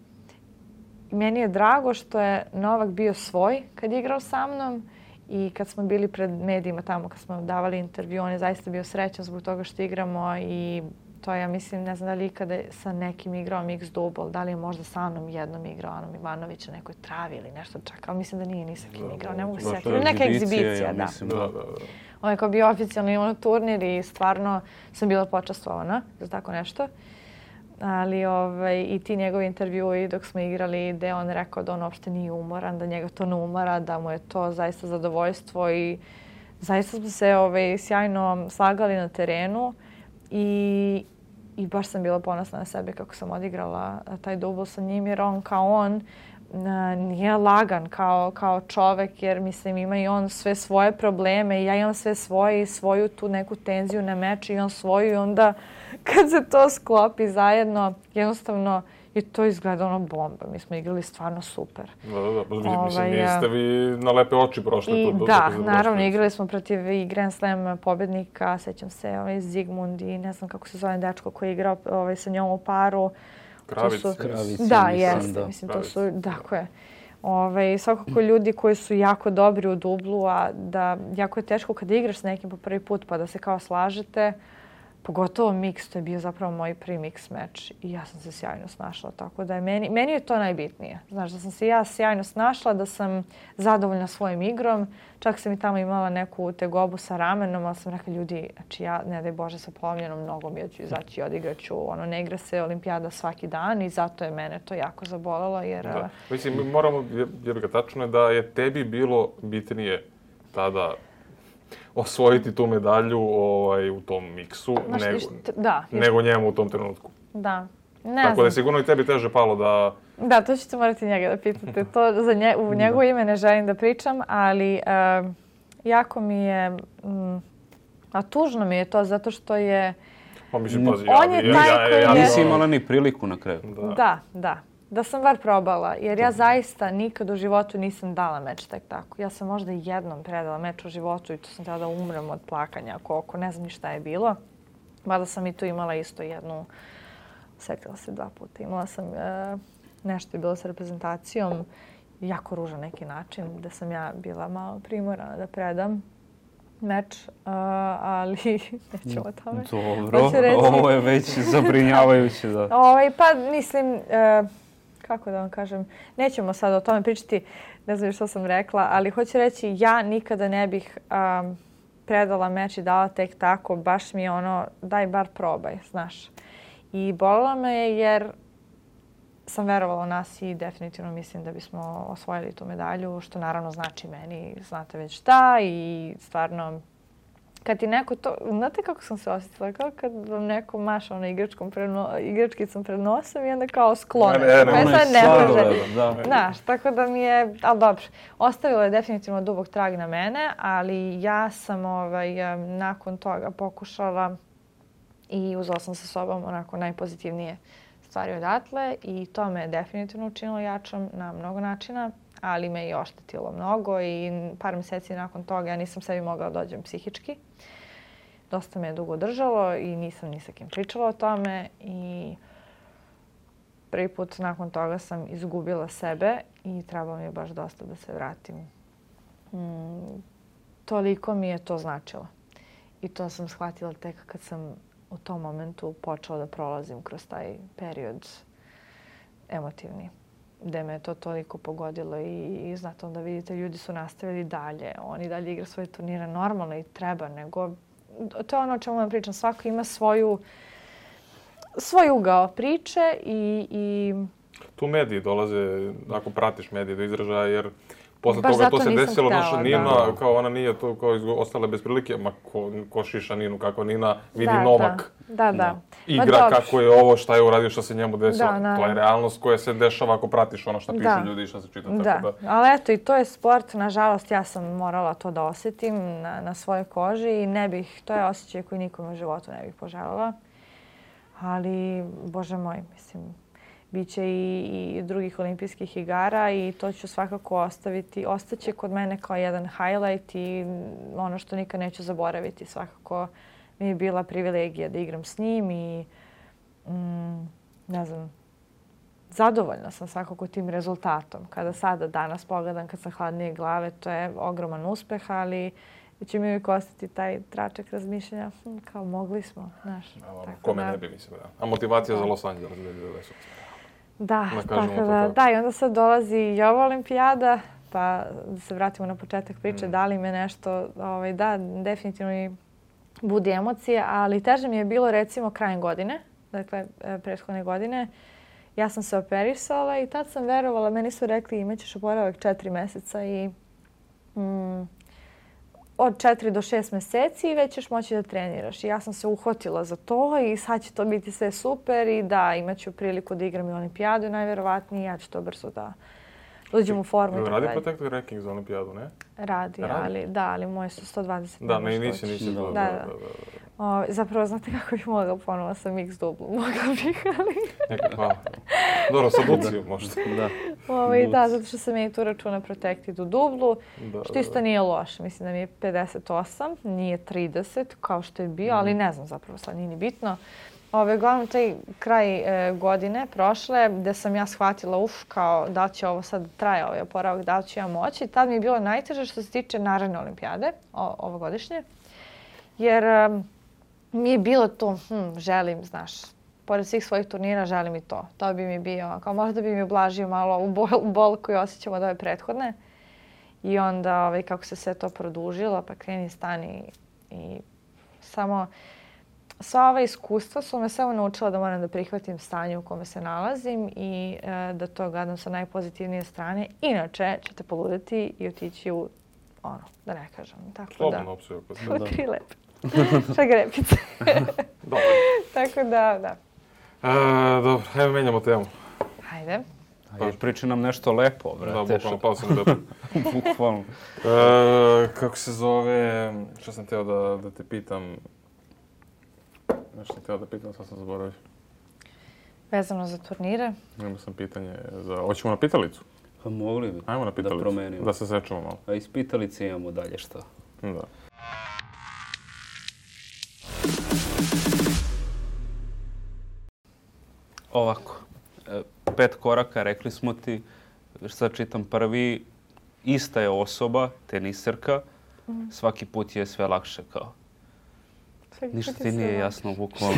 meni je drago što je Novak bio svoj kad je igrao sa mnom i kad smo bili pred medijima tamo, kad smo davali intervju, on je zaista bio srećan zbog toga što igramo i to ja mislim, ne znam da li ikada sa nekim igrao Mix Double, da li je možda sa mnom jednom igrao Anom Ivanović na nekoj travi ili nešto čak, ali mislim da nije ni sa kim igrao, ne mogu se sjetiti. Neka egzibicija, da. On je kao bio oficijalni turnir i stvarno sam bila počastvovana za tako nešto. Ali i ti njegovi intervjui dok smo igrali gdje on rekao da on uopšte nije umoran, da njega to ne umara, da mu je to zaista zadovoljstvo i zaista smo se sjajno slagali na terenu i baš sam bila ponosna na sebe kako sam odigrala taj dubl sa njim jer on kao on nije lagan kao čovek jer mislim ima i on sve svoje probleme i ja imam sve svoje i svoju tu neku tenziju na meču i on svoju i onda kad se to sklopi zajedno jednostavno i to izgleda ono bomba. Mi smo igrali stvarno super. Da. Mislim, niste vi na lepe oči prošli. Naravno, igrali smo protiv i Grand Slam pobjednika, sećam se, Zigmund i ne znam kako se zove dečko koji je igrao sa njom u paru. Kravic. Da, jeste. Mislim, to su, tako je. Svakako ljudi koji su jako dobri u dublu, a da jako je teško kada igraš s nekim po prvi put pa da se kao slažete. Pogotovo mix, to je bio zapravo moj prvi mix meč i ja sam se sjajno snašla, tako da je meni je to najbitnije. Znaš, da sam se ja sjajno snašla, da sam zadovoljna svojim igrom. Čak sam i tamo imala neku tegobu sa ramenom, ali sam rekla ljudi, znači ja, ne daj Bože, sa polomljenom nogom, ja ću izaći i odigraću. Ne igra se olimpijada svaki dan i zato je mene to jako zabolelo. Jer, da. Mislim, moramo, jer ga tačno je da je tebi bilo bitnije tada osvojiti tu medalju u tom miksu nego njemu u tom trenutku. Da. Tako da je sigurno i tebi teže palo da... Da, to ćete morati njega da pitate. To u njegovo ime ne želim da pričam, ali jako mi je... A tužno mi je to zato što je... Pa mislim, pazi, on je taj koji je... Nisi imala ni priliku na kraju. Da. Da sam bar probala, jer ja zaista nikad u životu nisam dala meč tek tako. Ja sam možda jednom predala meč u životu i to sam tada da umrem od plakanja koliko, ne znam ni šta je bilo. Mada sam i tu imala isto jednu, setila se 2 puta, imala sam nešto je bilo sa reprezentacijom, jako ružan neki način, da sam ja bila malo primorana da predam meč, ali nećemo o tome. Dobro, ovo je već zabrinjavajuće. Da. Pa mislim... Kako da vam kažem, nećemo sad o tome pričati, ne znam što sam rekla, ali hoću reći ja nikada ne bih predala meč i dala tek tako, baš mi je ono, daj bar probaj, znaš. I bolila me je jer sam verovala u nas i definitivno mislim da bismo osvojili tu medalju, što naravno znači meni, znate već šta i stvarno... Kad ti neko to, znate kako sam se osjetila? Kao kad vam neko maša igračkicom pred nosom i onda kao sklone. Ne može. Znaš, tako da mi je, ali dobro, ostavilo je definitivno dubok trag na mene, ali ja sam nakon toga pokušala i uzela sam sa sobom onako najpozitivnije stvari odatle i to me je definitivno učinilo jačom na mnogo načina. Ali me i oštetilo mnogo i par mjeseci nakon toga ja nisam sebi mogla dođem psihički. Dosta me je dugo držalo i nisam ni sa kim pričala o tome i prvi put nakon toga sam izgubila sebe i trebalo mi je baš dosta da se vratim. Toliko mi je to značilo. I to sam shvatila tek kad sam u tom momentu počela da prolazim kroz taj period emotivni. Gde me je to toliko pogodilo i znate, onda vidite, ljudi su nastavili dalje. Oni dalje igra svoje turnire normalno i treba, nego... To je ono o čemu vam pričam. Svako ima svoj ugao priče i... Tu mediji dolaze, ako pratiš medije do izražaja, jer Posle Baš toga to zato se nisam desilo, htela, naša da. Nina, kao ona nije to, kao ostala bez prilike, ma ko šiša Ninu, kako Nina vidi Da, Novak. Da. Ma Igra, dobro. kako je ovo, šta je uradio, šta se njemu desilo. Da, naravno. To je realnost koja se dešava ako pratiš ono što pišu Da. ljudi i šta se čita. Da, Tako da. ali eto i to je sport, nažalost ja sam morala to da osjetim na svojoj koži i ne bih, to je osjećaj koji nikome u životu ne bih poželjela. Ali, Bože moj, mislim, bit će i drugih olimpijskih igara i to ću svakako ostaviti. Ostaće kod mene kao jedan highlight i ono što nikad neću zaboraviti. Svakako mi je bila privilegija da igram s njim i ne znam, zadovoljna sam svakako tim rezultatom. Kada sada danas pogledam, kad sam hladnije glave, to je ogroman uspeh, ali će mi uvijek ostati taj tračak razmišljanja, kao mogli smo, znaš. Kome ne bi, mislim, da. A motivacija za Los Angeles 2028. Da, tako da, i onda sad dolazi i ova olimpijada, pa da se vratimo na početak priče, da li me nešto, da, definitivno i budi emocije, ali teže mi je bilo recimo krajem godine, dakle, prethodne godine. Ja sam se operisala i tad sam verovala, meni su rekli imaćeš oporavak 4 meseca i od 4 do 6 meseci i već ćeš moći da treniraš. I ja sam se uhvatila za to i sad će to biti sve super i da, imat ću priliku da igram i olimpijadu najverovatnije. Ja ću to brzo da uđem u formu i tako dalje. Radi Protected Ranking za olimpijadu, ne? Radi, ali moji su 120. Da, nisi da. Zapravo, znate kako bih mogla ponovo sa mix dublu? Mogla bih, ali... Hvala. Dobro, sa Lucijom možda. Da, zato što sam ja i tu računa Protected u dublu, što isto nije loše. Mislim da mi je 58, nije 30 kao što je bio, ali ne znam zapravo, sad nije ni bitno. Uglavnom, taj kraj godine prošle, gde sam ja shvatila, kao da li će ovo sad traje ovaj oporavak, da li ću ja moći. Tad mi je bilo najteže što se tiče naredne olimpijade, ovogodišnje. Jer mi je bilo to, želim, znaš, pored svih svojih turnira želim i to. To bi mi bio, kao možda bi mi ublažio malo u bol koju osjećam od ove prethodne. I onda, kako se sve to produžilo, pa kreni stani i samo... Sva ova iskustva su me samo naučila da moram da prihvatim stanje u kome se nalazim i da to gledam sa najpozitivnije strane. Inače ćete poludeti i otići u, da ne kažem. Slobodno opciju. U 3 lepe. Šagrepice. Dobro. Tako da. Dobro, ajmo menjamo temu. Hajde. Priči nam nešto lepo, brate. Da, bukvalno, pao sam lepo. Bukvalno. Kako se zove, što sam teo da te pitam, nešto sam htio da pitam, sad sam zaboravio. Vezano za turnire? Imao sam pitanje za... Hoćemo na pitalicu? Pa mogli bi. Ajmo na pitalicu. Da promenimo. Da se sečemo malo. A iz pitalice imamo dalje šta? Da. Ovako. 5 koraka, rekli smo ti. Sad čitam prvi. Ista je osoba, teniserka. Svaki put je sve lakše kao. Ništa ti nije jasno, bukvalno.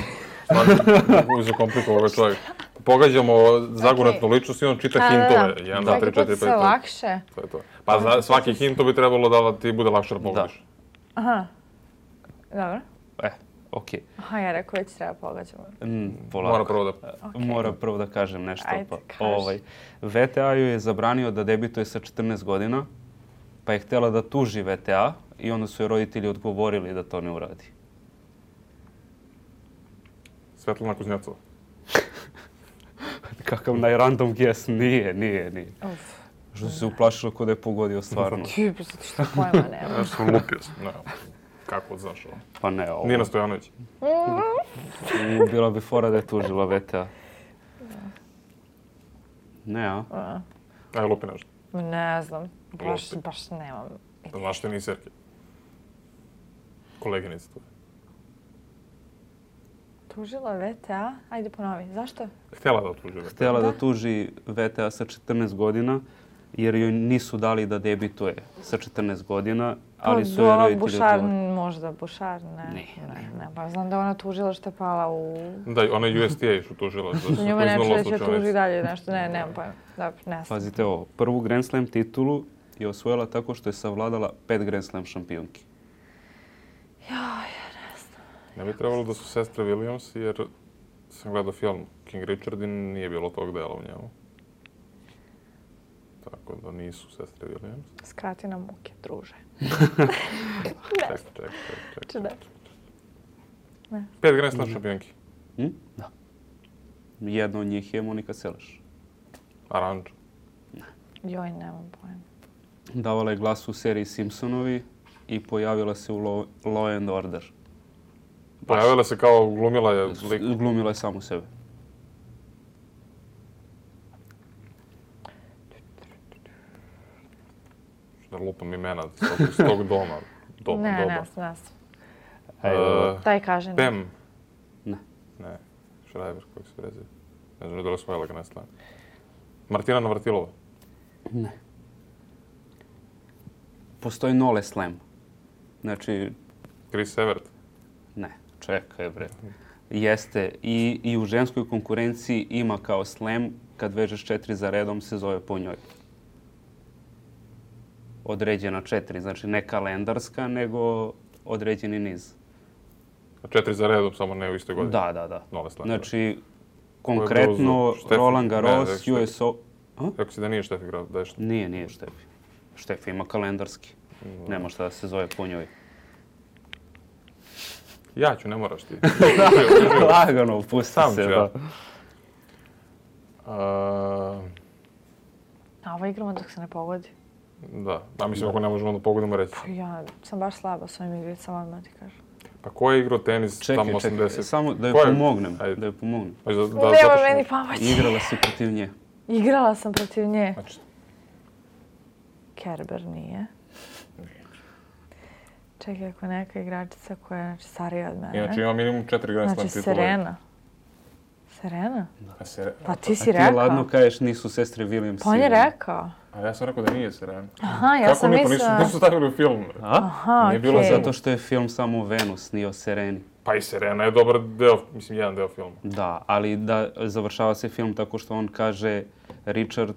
Zakomplikovao ovaj čovjek. Pogađamo zagurnetnu ličnost i on čita hintove. 1, 2, 3, 4, 5. Sve lakše? To je to. Pa svaki hinto bi trebalo da ti bude lakše da pogodiš. Aha. Dobro. Okej. Aha, ja rekao već treba pogađamo. Polako. Mora prvo da kažem nešto. VTA-ju je zabranio da debituje sa 14 godina, pa je htjela da tuži VTA i onda su joj roditelji odgovorili da to ne uradi. Svetlana Kuznjacova. Kakav najrandom guess, nije. Što si se uplašila kod je pogodio stvarno. Ti, zato što pojma nema. Ja sam lupio sam, kako znaš ovo? Pa ne, ovo. Nina Stojanović. Bila bi fora da je tužila VTA. Ne, a? Aj, lupi nešto. Ne znam, baš nemam. Znaš te niserke? Koleginice tvoje. Tužila VTA? Ajde ponovi, zašto? Htjela da tuži VTA. Htjela da tuži VTA sa 14 godina, jer joj nisu dali da debituje sa 14 godina, ali su joj roditelji odgovorili. Možda Bušar, ne. Pa znam da ona tužila što je pala u... Da, ona je USTA što tužila. Njome neće da će tuži dalje nešto, nemam pojma. Dobro, ne znam. Pazite ovo, prvu Grand Slam titulu je osvojila tako što je savladala 5 Grand Slam šampionki. Ne bi trebalo da su sestre Williams, jer sam gledao film King Richard i nije bilo tog dela u njemu. tako da nisu sestre Williams. Skrati na muke, druže. Čekaj. Ne. 5 Grand Slam šampionki. Da. Jedna od njih je Monika Seles. Aranđo. Joj, nemam pojma. Davala je glas u seriji Simpsonovi i pojavila se u Law and Order. Pojavila se kao glumila je lik. Glumila je samu sebe. Da lupam imena s tog doma. Ne. Daj kaži. Pem. Ne. Ne. Šrajber, koji se preziva. Ne znam da li osvojila Grand Slam. Martina Navratilova. Ne. Postoji Nole Slam. Znači, Chris Evert. ne, čekaj bre. Jeste. I u ženskoj konkurenciji ima kao slam, kad vežeš 4 za redom se zove po njoj. Određena 4, znači ne kalendarska, nego određeni niz. 4 za redom, samo ne u istoj godini. Da. Nole Slam. Znači, konkretno Roland Garros, USO... Rekao si da nije Štefi igrao, da je Štefi. Nije Štefi. Štefi ima kalendarski. Nema šta da se zove po njoj. Ja ću, ne moraš ti. Lagano, pusti Sam se. ću ja. A ovo igramo dok se ne pogodi. Da, a mislim ako ne možemo da pogodimo reći. Ja sam baš slaba s ovim igricama, odmah ti kažem. Pa ko je igrao tenis tamo 80? Čekaj, samo da joj pomognem. Da joj pomognem. Nema meni pomoći. Igrala si protiv nje. Igrala sam protiv nje. Znači, Kerber nije. Čekaj, ako neka igračica koja je starija od mene. inače ima minimum 4 Grand Slam Znači, titula. Serena? Da. Pa ti si Ti rekao. ladno kažeš nisu sestre Williams. Pa on je rekao. A ja sam rekao da nije Serena. Aha, ja sam mislila... Nisu stavili u film. Aha, Nije bilo okej. Zato što je film samo o Venus, nije o Sereni. Pa i Serena je dobar deo, mislim jedan deo filma. Da, ali da završava se film tako što on kaže Richard,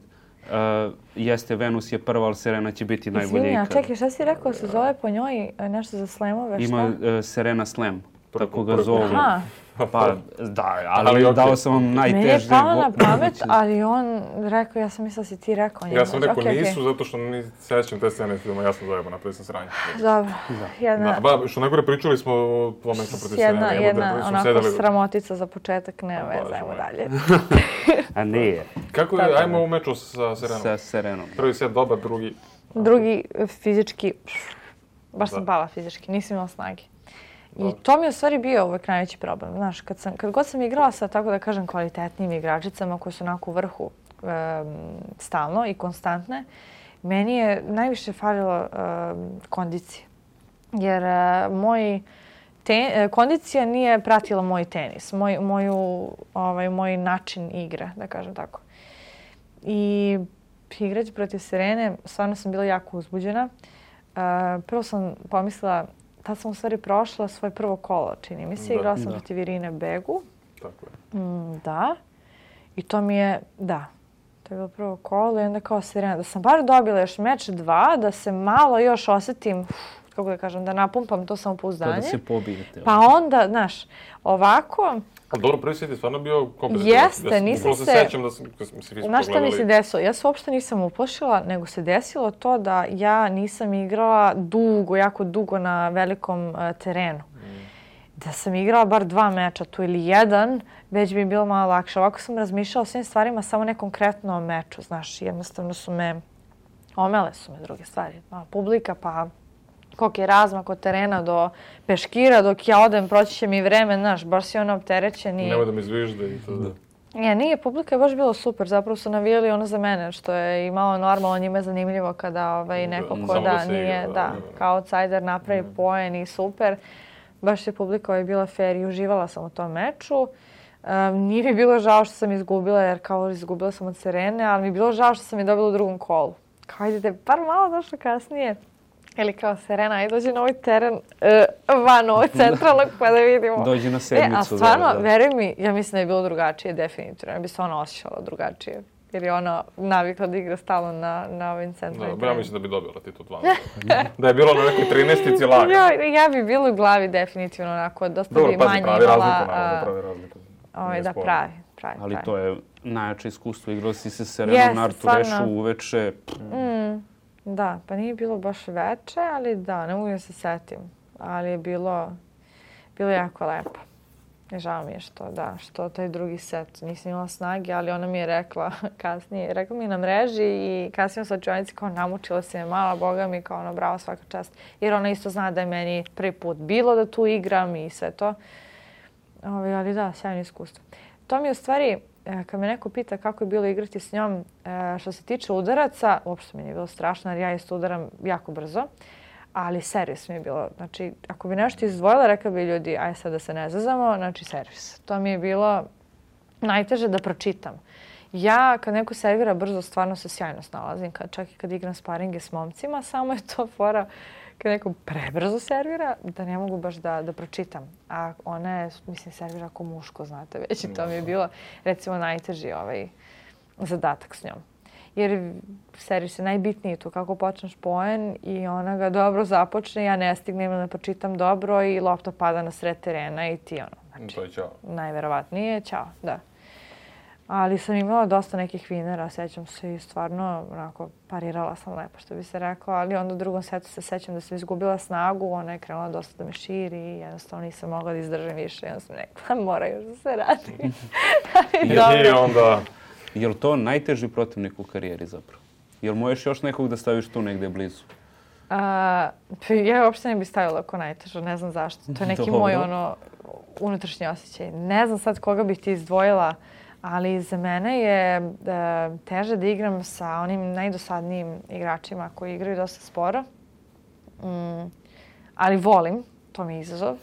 jeste Venus je prva, ali Serena će biti najbolja Izvini, a ikad. čekaj, šta si rekao, se zove po njoj nešto za slamove, šta? Ima Serena Slam, tako ga zovu. Aha, Pa da, ali okej. dao sam vam najteži... meni je palo na pamet, ali on rekao, ja sam mislila si ti rekao njemu. Ja sam rekao Okej, nisu, zato što ne sećam te scene iz filma, ja sam zajebao, napravio sam sranje. Dobro, jedna, Što najgore pričali smo o tvojom meču protiv Serena. jedna onako sramotica za početak, ne veze, ajmo dalje. A nije. Kako je, ajmo u meču sa Serenom. Sa Serenom. Prvi set dobar, drugi... Drugi fizički, baš sam pala fizički, nisam imala snage. I to mi je u stvari bio uvek najveći problem. Znaš, kad god sam igrala sa, tako da kažem, kvalitetnim igračicama koje su onako u vrhu stalno i konstantne, meni je najviše falilo kondicije. Jer kondicija nije pratila moj tenis, moj način igre, da kažem tako. I igrati protiv Serene, stvarno sam bila jako uzbuđena. Prvo sam pomislila, tad sam u stvari prošla svoje prvo kolo, čini mi se. Igrala sam protiv Irine Begu. Tako je. Da. I to mi je, to je bilo prvo kolo i onda kao Serena. Da sam bar dobila još meč 2, da se malo još osjetim, kako da kažem, da napumpam to samopouzdanje. Pa da se pobijete. Pa onda, znaš, ovako... A dobro, prvi set je stvarno bio kompetitivan. Jeste, nisam se... sećam da smo se vi Znaš šta mi se desilo? Ja se uopšte nisam uplašila, nego se desilo to da ja nisam igrala jako dugo na velikom terenu. Da sam igrala bar 2 meča tu ili 1, već bi bilo malo lakše. Ovako sam razmišljala o svim stvarima, samo ne konkretno o meču. Znaš, jednostavno omele su me druge stvari. Publika, pa koliko je razmak od terena do peškira, dok ja odem, proći će mi vreme, znaš, baš si ono opterećen i... Nemoj da mi zvižde i to da... Nije, publika je baš bilo super, zapravo su navijali ono za mene, što je i malo normalno, njima je zanimljivo kada neko ko da nije, kao outsider napravi poen i super. Baš je publika bila fair i uživala sam u tom meču. Nije mi bilo žao što sam izgubila, jer kao izgubila sam od Serene, ali mi je bilo žao što sam je dobila u drugom kolu. Kao idete, bar malo došlo kasnije. Ili kao Serena, aj dođi na ovaj teren van ovog centralnog pa da vidimo. Dođi na sedmicu. A stvarno, veruj mi, ja mislim da je bilo drugačije, definitivno. Ja bi se ona osjećala drugačije. Jer je ona navikla da igra stalno na ovim centralnim Ja mislim da bi dobila titul 12. Da je bilo na nekoj 13-ici laga. Ja bi bilo u glavi definitivno onako, dosta bi manje imala... Dobro, pazi, pravi razliku. Da, pravi. Ali to je najjače iskustvo. Igrala si se Serenom na Artu Rešu uveče. Da, pa nije bilo baš veče, ali da, ne mogu da se setim. Ali je bilo jako lepo. I žao mi je što taj drugi set nisam imala snage, ali ona mi je rekla kasnije, rekla mi na mreži i kasnije u slačionici kao namučila se me mala, boga mi, kao bravo, svaka čast. Jer ona isto zna da je meni prvi put bilo da tu igram i sve to. Ali da, sjajno iskustvo. To mi je u stvari, kad me neko pita kako je bilo igrati s njom, što se tiče udaraca, uopšte mi nije bilo strašno jer ja isto udaram jako brzo. Ali servis mi je bilo, znači ako bi nešto izdvojila, rekla bi ljudi, aj sad da se ne zazamo, znači servis. To mi je bilo najteže da pročitam. Ja kad neko servira brzo, stvarno se sjajno snalazim, čak i kad igram sparinge s momcima, samo je to fora kad neko prebrzo servira, da ne mogu baš da pročitam. A ona je, mislim, servira ako muško, znate već, i to mi je bilo recimo najteži zadatak s njom. Jer servis je najbitniji tu, kako počneš poen i ona ga dobro započne, ja ne stignem da pročitam dobro i lopta pada na sred terena i ti znači, to je ćao. Najverovatnije ćao, da. Ali sam imala dosta nekih vinera, sećam se i stvarno onako parirala sam lepo što bi se rekao, ali onda u drugom setu se sećam da sam izgubila snagu, ona je krenula dosta da me širi i jednostavno nisam mogla da izdržim više i onda sam rekla mora još da se radi. Je li to najteži protivnik u karijeri zapravo? Je li možeš još nekog da staviš tu negdje blizu? Ja uopšte ne bih stavila ako najtežo, ne znam zašto. To je neki moj unutrašnji osjećaj. Ne znam sad koga bih ti izdvojila, ali za mene je teže da igram sa onim najdosadnijim igračima koji igraju dosta sporo. Ali volim, to mi je izazov.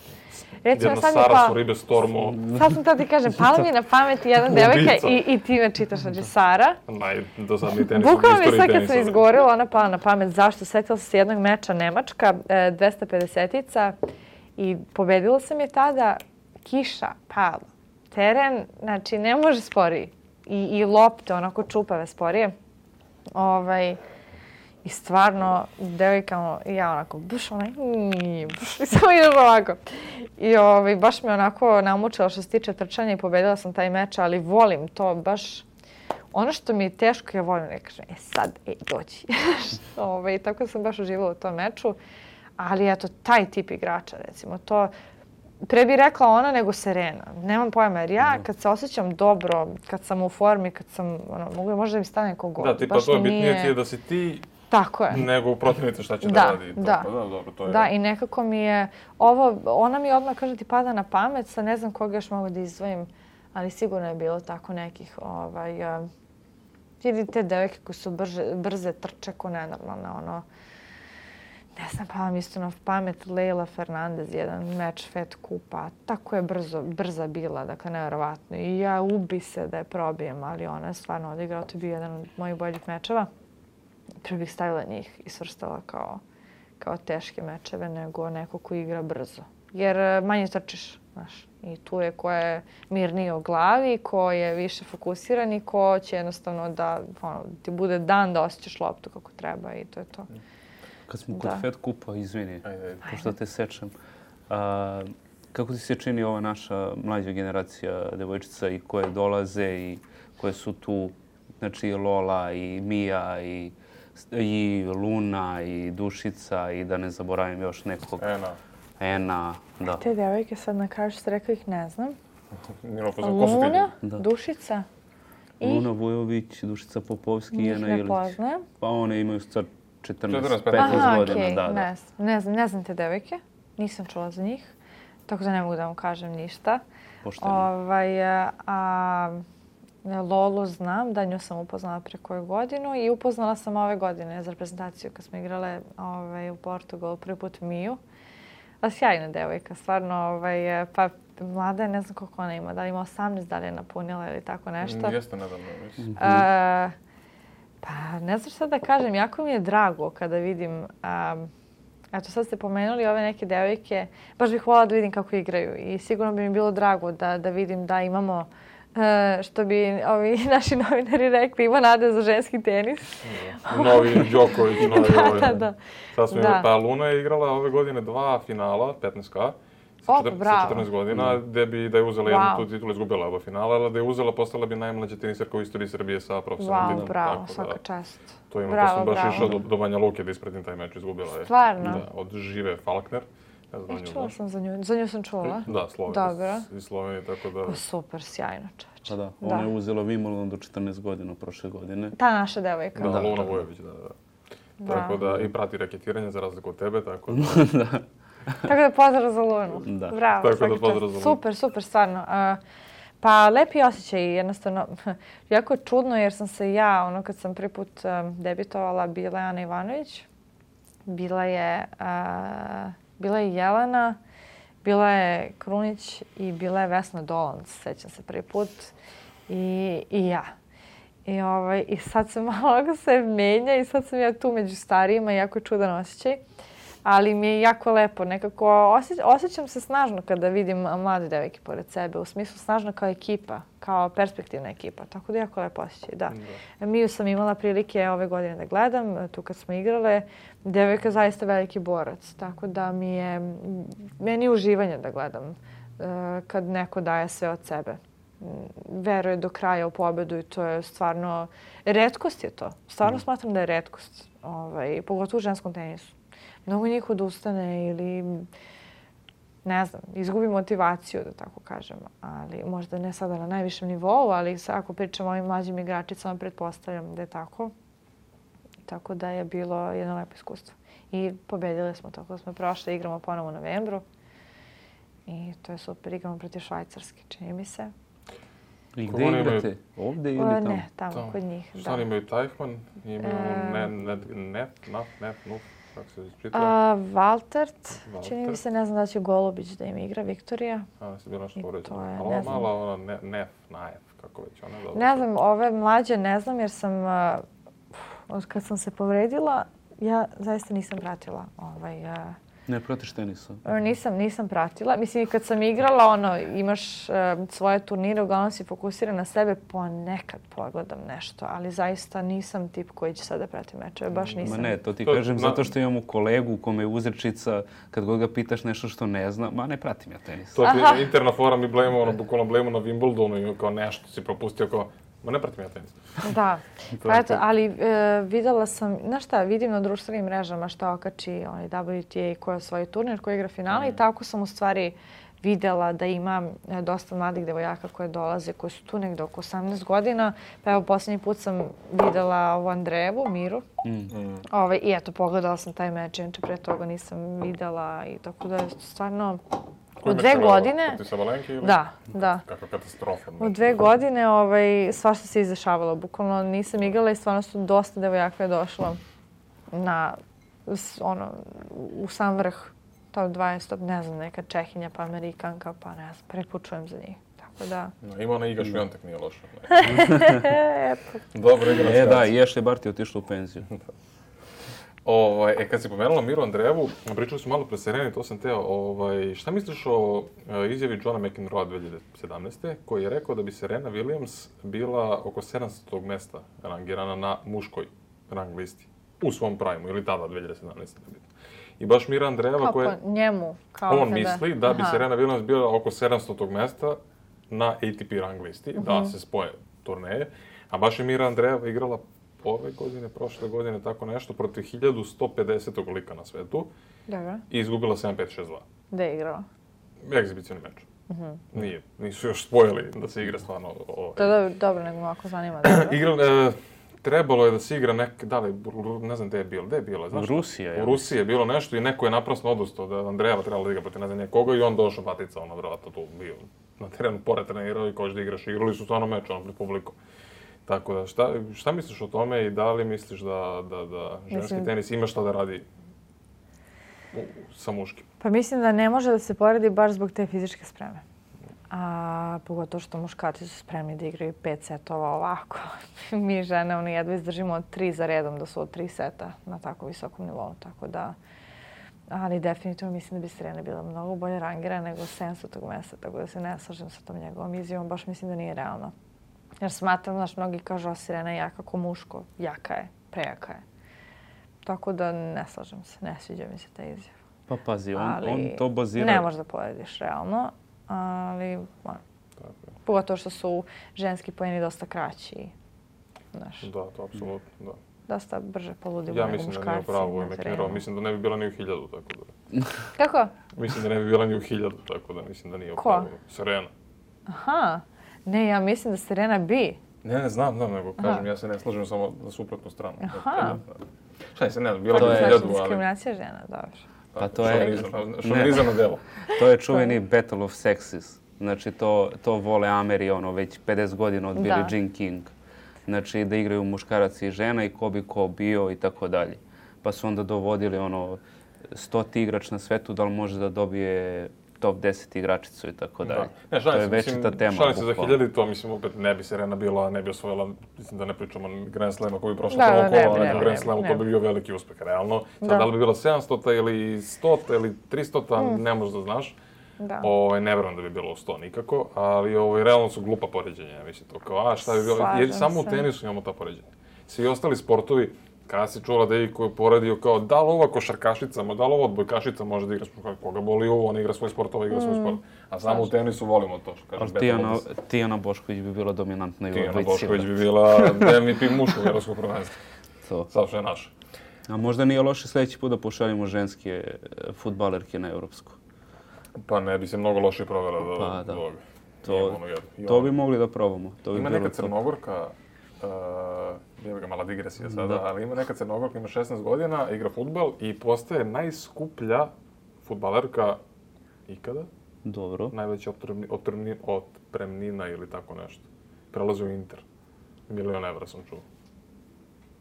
Recimo, Sara su ribe Stormo. Sad sam to ti kažem, pala mi je na pamet jedna devojka i ti me čitaš, znači Sara. Najdosadniji tenis u bukvalno mi istoriji sad tenisa. kad sam izgovorila, ona pala na pamet. Zašto? Sjetila sam se jednog meča Nemačka, 250-ica i pobedila sam je tada, kiša pala. Teren, znači ne može sporiji. I lopte, onako čupave sporije. I stvarno, devojka, ja onako, buš i samo ideš ovako. I baš me onako namučila što se tiče trčanja i pobedila sam taj meč, ali volim to baš. Ono što mi je teško, ja volim da kažem, sad, dođi. Tako sam baš uživala u tom meču. Ali eto, taj tip igrača, recimo, to pre bi rekla ona nego Serena. Nemam pojma, jer ja kad se osjećam dobro, kad sam u formi, kad sam, mogu možda mi stane neko gol. Da, tipa to je bitnije ti je da si ti tako je. Nego protivnica šta će da radi. Da, i nekako mi je ona mi odmah kaže ti pada na pamet, sad ne znam koga još mogu da izdvojim, ali sigurno je bilo tako nekih, te devojke koje su brze trče ko nenormalne, ne znam, pa vam isto na pamet Leylah Fernandez, jedan meč Fed Kupa, tako je brza bila, dakle nevjerovatno. I ja ubi se da je probijem, ali ona je stvarno odigrala, to je bio jedan od mojih boljih mečeva. Prvo bih stavila njih i svrstala kao teške mečeve nego neko ko igra brzo. Jer manje trčiš, znaš. I tu je ko je mirniji u glavi, ko je više fokusiran i ko će jednostavno da ti bude dan da osjećaš loptu kako treba i to je to. Kad smo kod Fed Kupa, izvini, pošto te sečem. Kako ti se čini ova naša mlađa generacija devojčica i koje dolaze i koje su tu, znači i Lola i Mija i Luna i Dušica i da ne zaboravim još nekog. Ena, da. Te devojke sad na kraju što ste rekli ih ne znam. Luna, Dušica. Luna Vujović, Dušica Popovski i Ena Ilić. Njih ne poznajem. Pa one imaju sad 14-15 godina. Da. Ne znam te devojke. Nisam čula za njih. Tako da ne mogu da vam kažem ništa. Pošteno. Lolu znam, da nju sam upoznala pre koju godinu i upoznala sam ove godine za reprezentaciju kad smo igrale u Portugalu prvi put Miju. Sjajna devojka, stvarno, pa mlada je, ne znam koliko ona ima, da li ima 18, da li je napunila ili tako nešto. Jeste nedavno, mislim. Pa ne znam šta da kažem, jako mi je drago kada vidim, eto sad ste pomenuli ove neke devojke, baš bih voljela da vidim kako igraju i sigurno bi mi bilo drago da vidim da imamo, što bi ovi naši novinari rekli, ima nade za ženski tenis. Novi Đoković, novi Da. Pa Luna je igrala ove godine 2 finala, 15K, sa bravo. 14 godina, gde bi da je uzela jednu tu titulu, izgubila oba finala, ali da je uzela, postala bi najmlađa tenisarka u istoriji Srbije sa profesionalnim titulom. Bravo, svaka čast. To ima, pa sam baš išao do Banja Luke da ispratim taj meč, izgubila je. Stvarno? Da, od Žive Falkner. Čula sam za nju. Za nju sam čula. Da, Slovenija. Iz Slovenije, tako da... Super, sjajno čoveče. Pa da, ona je uzela Wimbledon do 14 godina prošle godine. Ta naša devojka. Da, Luna Vujović, da. Tako da, i prati raketiranje za razliku od tebe, tako da... Tako da pozdrav za Lunu. Da. Bravo, tako da pozdrav za Lunu. Super, stvarno. Pa lepi osjećaj, jednostavno, jako je čudno jer sam se ja, kad sam prvi put debitovala, bila je Ana Ivanović, bila je Jelena, bila je Krunić i bila je Vesna Dolanc, sećam se prvi put, i ja. I sad se malo se menja i sad sam ja tu među starijima, jako je čudan osjećaj. Ali mi je jako lepo, nekako osjećam se snažno kada vidim mlade devojke pored sebe, u smislu snažno kao ekipa, kao perspektivna ekipa, tako da jako lepo osjećaj, da. Miju sam imala prilike ove godine da gledam, tu kad smo igrale, devojka je zaista veliki borac, tako da meni je uživanje da gledam kad neko daje sve od sebe. Veruje do kraja u pobedu i to je stvarno, retkost je to, stvarno smatram da je retkost, pogotovo u ženskom tenisu. Mnogo njih odustane ili, ne znam, izgubi motivaciju, da tako kažem. Ali možda ne sada na najvišem nivou, ali ako pričamo o ovim mlađim igračicama, pretpostavljam da je tako. Tako da je bilo jedno lepo iskustvo. I pobedili smo, tako da smo prošli, igramo ponovo u novembru. I to je super, igramo protiv Švajcarske, čini mi se. I gde igrate? Ovde ili tamo? Ne, tamo, kod njih. Šta oni imaju Tajfman, imaju Nef, kako se isprita? Valtert, čini mi se, ne znam da će Golubić da im igra, Viktorija. Se bilo nešto povređeno. Ali mala ona Naef, kako već ona dobro. Ne znam, ove mlađe ne znam jer sam, kad sam se povredila, ja zaista nisam pratila Ne pratiš tenisa? Nisam pratila. Mislim, i kad sam igrala, imaš svoje turnire, uglavnom si fokusiran na sebe, ponekad pogledam nešto, ali zaista nisam tip koji će sad da prati mečeve, baš nisam. Ma ne, to ti kažem zato što imamo kolegu u kome je uzrečica, kad god ga pitaš nešto što ne zna, ma ne pratim ja tenis. To je interna fora, mi bukvalno blejemo na Wimbledonu i kao nešto si propustio, kao ma ne pratim ja tenis. Da, pa eto, ali videla sam, znaš šta, vidim na društvenim mrežama šta okači WTA koji je svoj turnir, koji igra finale i tako sam u stvari videla da ima dosta mladih devojaka koje dolaze, koji su tu negde oko 18 godina. Pa evo, posljednji put sam videla ovu Andrejevu, Miru. I eto, pogledala sam taj meč, inače pre toga nisam videla i tako da je stvarno... U 2 godine... Protiv Sabalenke ili? Da. Kakva katastrofa. U 2 godine svašta se izdešavalo. Bukvalno nisam igrala i stvarno su dosta devojaka je došlo u sam vrh. Top 20, ne znam, neka Čehinja pa Amerikanka, pa ne znam, prvi put čujem za njih. Tako da... Ima ona Iga Šviontek, nije loša. Eto. Dobro igra. Da, i Ashley Barty otišla u penziju. Kad si pomenula Miru Andrejevu, pričali smo malo pre Sereni, to sam teo. Šta misliš o izjavi Johna McEnroea 2017. koji je rekao da bi Serena Williams bila oko 700. mesta rangirana na muškoj rang listi u svom primu, ili tada 2017. I baš Mira Andreeva koja... Kako njemu? On misli da bi Serena Williams bila oko 700. mesta na ATP rang listi, da se spoje turneje. A baš je Mira Andreeva igrala ove godine, prošle godine, tako nešto, protiv 1150. lika na svetu. Dobro. I izgubila 7-5-6-2. Gde je igrala? Egzibicioni meč. Nisu još spojili da se igra stvarno... To je dobro, nego ako zanima. Trebalo je da se igra ne znam gde je bilo. U Rusiji. U Rusiji je bilo nešto i neko je naprasno odustao da Andrejeva trebala da igra protiv ne znam koga i on došao batica, vjerojatno tu bio na terenu, pored trenirao i koš da igraš. Igrali su stvarno meč, pred publikom. Tako da, šta misliš o tome i da li misliš da ženski tenis ima šta da radi sa muškim? Pa mislim da ne može da se poredi baš zbog te fizičke spreme. A pogotovo što muškarci su spremni da igraju 5 setova ovako. Mi žene jedva izdržimo od 3 za redom da su od 3 seta na tako visokom nivou. Tako da, ali definitivno mislim da bi Serena bila mnogo bolje rangirana nego 700. mesta. Tako da se ne slažem sa tom njegovom izjavom. Baš mislim da nije realno. Jer smatram, mnogi kažu da Serena je jaka ko muško. Jaka je, prejaka je. Tako da ne slažem se, ne sviđa mi se ta izjava. Pa pazi, on ali to bazira... ne možeš da porediš realno, ali pogotovo što su ženski poeni dosta kraći. Znaš, Da, to apsolutno, da. dosta brže poludimo Ja nego mislim da muškarci nije pravo na ime terenu. trenirao. Mislim da ne bi bila ni u 1000, tako da. Kako? Mislim da ne bi bila ni u 1000, tako da mislim da nije u Ko? pravu. Serena. Aha. Ne, ja mislim da Serena bi. Ne, znam, nego kažem, ja se ne slažem samo za suprotnu stranu. Aha. Šta se ne znam, bila bi To u je- 1000, Znači, ali... diskriminacija žena, dobro. Pa to je... Šovinizam na delo. To je čuveni Battle of Sexes. Znači, to vole Ameri, već 50 godina od Billie Da. Jean King. Znači, da igraju muškarac i žena i ko bi ko bio i tako dalje. Pa su onda dovodili 100 igrač na svetu, da li može da dobije top 10 igračicu i tako dalje. Ne, To je večita tema. Šalim se za bukvalno. 1000, to mislim opet ne bi Serena bila, ne bi osvojila, mislim da ne pričamo Grand Slema koji bi prošao Da, prvo ne bi, kolo, ne na bi, Grand ne Slamu bi, to ne bi bio veliki uspeh, realno. Sad, Da. da li bi bila 700 ili 100 ili 300, ne možeš da znaš. Da. Ne vjerujem da bi bilo u 100 nikako, ali realno su glupa poređenja, mislim to kao, šta bi bilo, jer Slažem samo u se. tenisu imamo ta poređenja. Svi ostali sportovi, kada si čula da je koji je poredio kao da li ova košarkašica, da li ova odbojkašica može da igra sport, koga boli ovo, on igra svoj sport, ova igra svoj sport. A samo u tenisu volimo to, što kažeš. Ali Tijana Bošković bi bila dominantna i u Tijana odbojci. Bošković bi bila MVP muškog evropskog prvenstva. To. Sad što je naš. A možda nije loše sljedeći put da pošaljemo ženske fudbalerke na evropsku. Pa ne bi se mnogo loše provela do Pa da. ovoga. To bi mogli da probamo. To bi Ima bilo neka top. Crnogorka, evo ga mala digresija sada, Da. ali ima neka Crnogorka, ima 16 godina, igra fudbal i postaje najskuplja fudbalerka ikada. Dobro. Najveća otpremnina ili tako nešto. Prelazi u Inter. 1.000.000 evra sam čuo.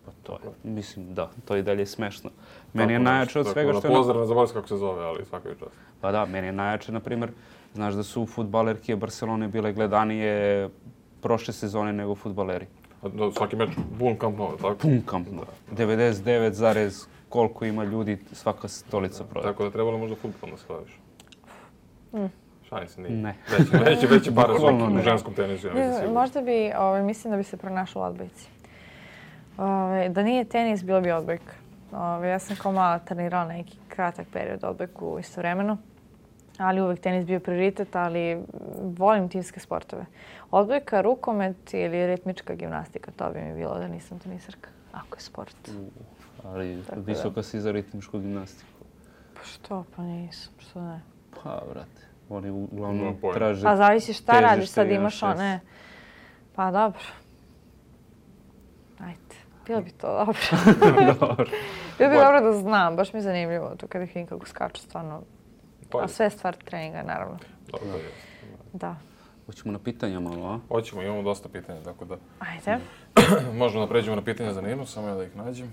Pa to je, mislim da, to je i dalje smešno. Meni je najjače od svega što je... Pozdrav, ne zaboravim kako se zove, ali svaka je čast. Pa da, meni je najjače, na primjer, znaš da su fudbalerke Barcelone bile gledanije prošle sezone nego fudbaleri. Svaki meč, pun Camp Nou, tako? Pun Camp Nou. 99, koliko ima ljudi, svaka stolica prodaje. Tako da trebalo možda fudbal da slaviš. Šalim se, nije. Ne. Veće pare Bukvalno u ne. ženskom tenisu, ja mislim sigurno. Možda bi, mislim da bi se pronašla u odbojci. Da nije tenis, bilo bi odbojka. Ja sam kao mala trenirala neki kratak period odbojku istovremeno, ali uvek tenis bio prioritet, ali volim timske sportove. Odbojka, rukomet ili ritmička gimnastika, to bi mi bilo da nisam tenisarka, ako je sport. Ali Tako da. visoka si za ritmičku gimnastiku. Pa što, pa nisam, što ne. Pa, vrate, oni uglavnom Nemam pojma. traže... Pa zavisi šta težište radiš, sad i imaš na one... Pa dobro. Ajde, bilo bi to dobro. Dobro. Bilo bi dobro da znam, baš mi je zanimljivo to kada ih vidim kako skaču, stvarno. A sve je stvar treninga, naravno. Dobro, je. Da. Hoćemo na pitanja malo, a? Hoćemo, imamo dosta pitanja, tako da Ajde. možemo da pređemo na pitanja za Ninu, samo ja da ih nađem.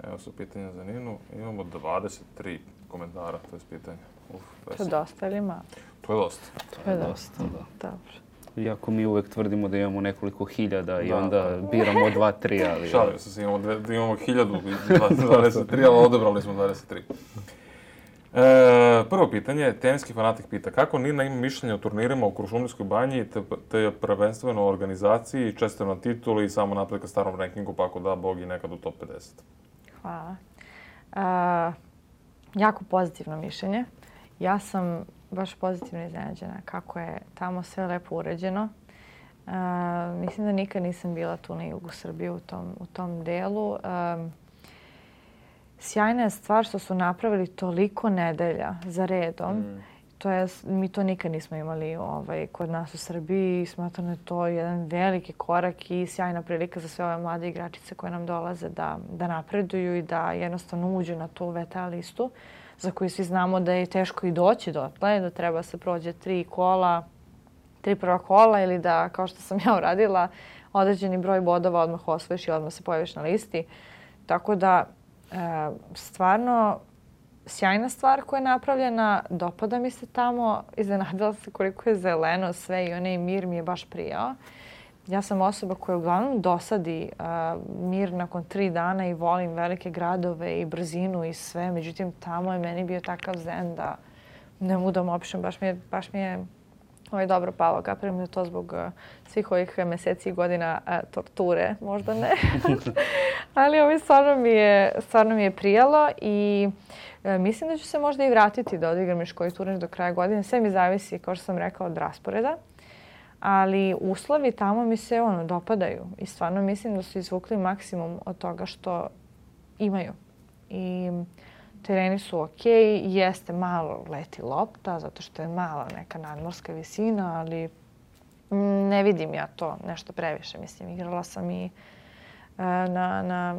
Evo su pitanja za Ninu. Imamo 23 komentara, to je pitanje. To je dosta ili malo? To je dosta. To je Dosta, da. Dobro. Iako mi uvek tvrdimo da imamo nekoliko hiljada i Da, onda biramo 2-3, ali... Šalim se, imamo 1023, ali odebrali smo 23. Prvo pitanje, teniski fanatik pita kako Nina ima mišljenje o turnirima u Kuršumlijskoj banji te prvenstveno o organizaciji, često na tituli i samo napred ka starom rankingu, pa ako da Bog i nekad u top 50. Hvala. Jako pozitivno mišljenje. Ja sam baš pozitivno iznenađena kako je tamo sve lepo uređeno. Mislim da nikad nisam bila tu na jugu Srbije u tom delu. Sjajna je stvar što su napravili toliko nedelja za redom. Mi to nikad nismo imali kod nas u Srbiji. Smatram da je to jedan veliki korak i sjajna prilika za sve ove mlade igračice koje nam dolaze da napreduju i da jednostavno uđu na tu VTA listu, za koju svi znamo da je teško i doći dotle, da treba se prođe 3 prva kola ili da, kao što sam ja uradila, određeni broj bodova odmah osvojiš i odmah se pojaviš na listi. Tako da, stvarno, sjajna stvar koja je napravljena, dopada mi se tamo, iznenadila se koliko je zeleno sve i onaj mir mi je baš prijao. Ja sam osoba koja uglavnom dosadi mir nakon 3 dana i volim velike gradove i brzinu i sve. Međutim, tamo je meni bio takav zen da ne mogu da mu opišem. Baš mi je Ovo je dobro palo, kapiram da je to zbog svih ovih meseci i godina torture, možda ne. Ali ovo stvarno mi je prijalo i mislim da ću se možda i vratiti da odigram još koji turnir do kraja godine. Sve mi zavisi, kao što sam rekla, od rasporeda. Ali uslovi tamo mi se dopadaju i stvarno mislim da su izvukli maksimum od toga što imaju. I tereni su okej, jeste malo leti lopta zato što je mala neka nadmorska visina, ali ne vidim ja to nešto previše. Mislim, igrala sam i na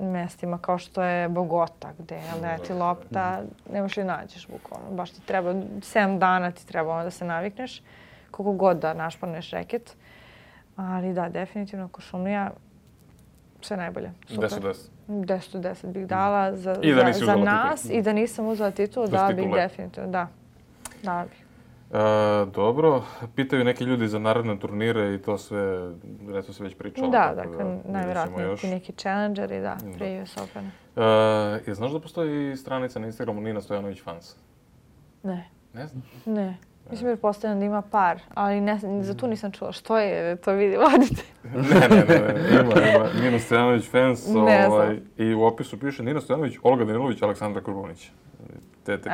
mestima kao što je Bogota gdje leti lopta, ne možeš li nađeš bukvalno. Baš ti treba, 7 dana ti treba da se navikneš, koliko god da našporneš reket. Ali da, definitivno Kuršumlija sve najbolje. Super. 10 od 10 bih dala za nas i da nisam uzela titulu, dala bih definitivno, da. Dala bih. Dobro, pitaju neki ljudi za naredne turnire i to sve, reto se već pričalo. Da, dakle, najvjerojatnije ti neki challengeri, da, prije US Opena. Znaš da postoji stranica na Instagramu Nina Stojanović Fans? Ne. Ne znaš? Ne. Mislim jer postavljam da ima par, ali za tu nisam čula. Što je? To vidi, vodite. Ne. Ima Nina Stojanović Fans i u opisu piše Nina Stojanović, Olga Danilović, Aleksandra Kurbunić. Eto.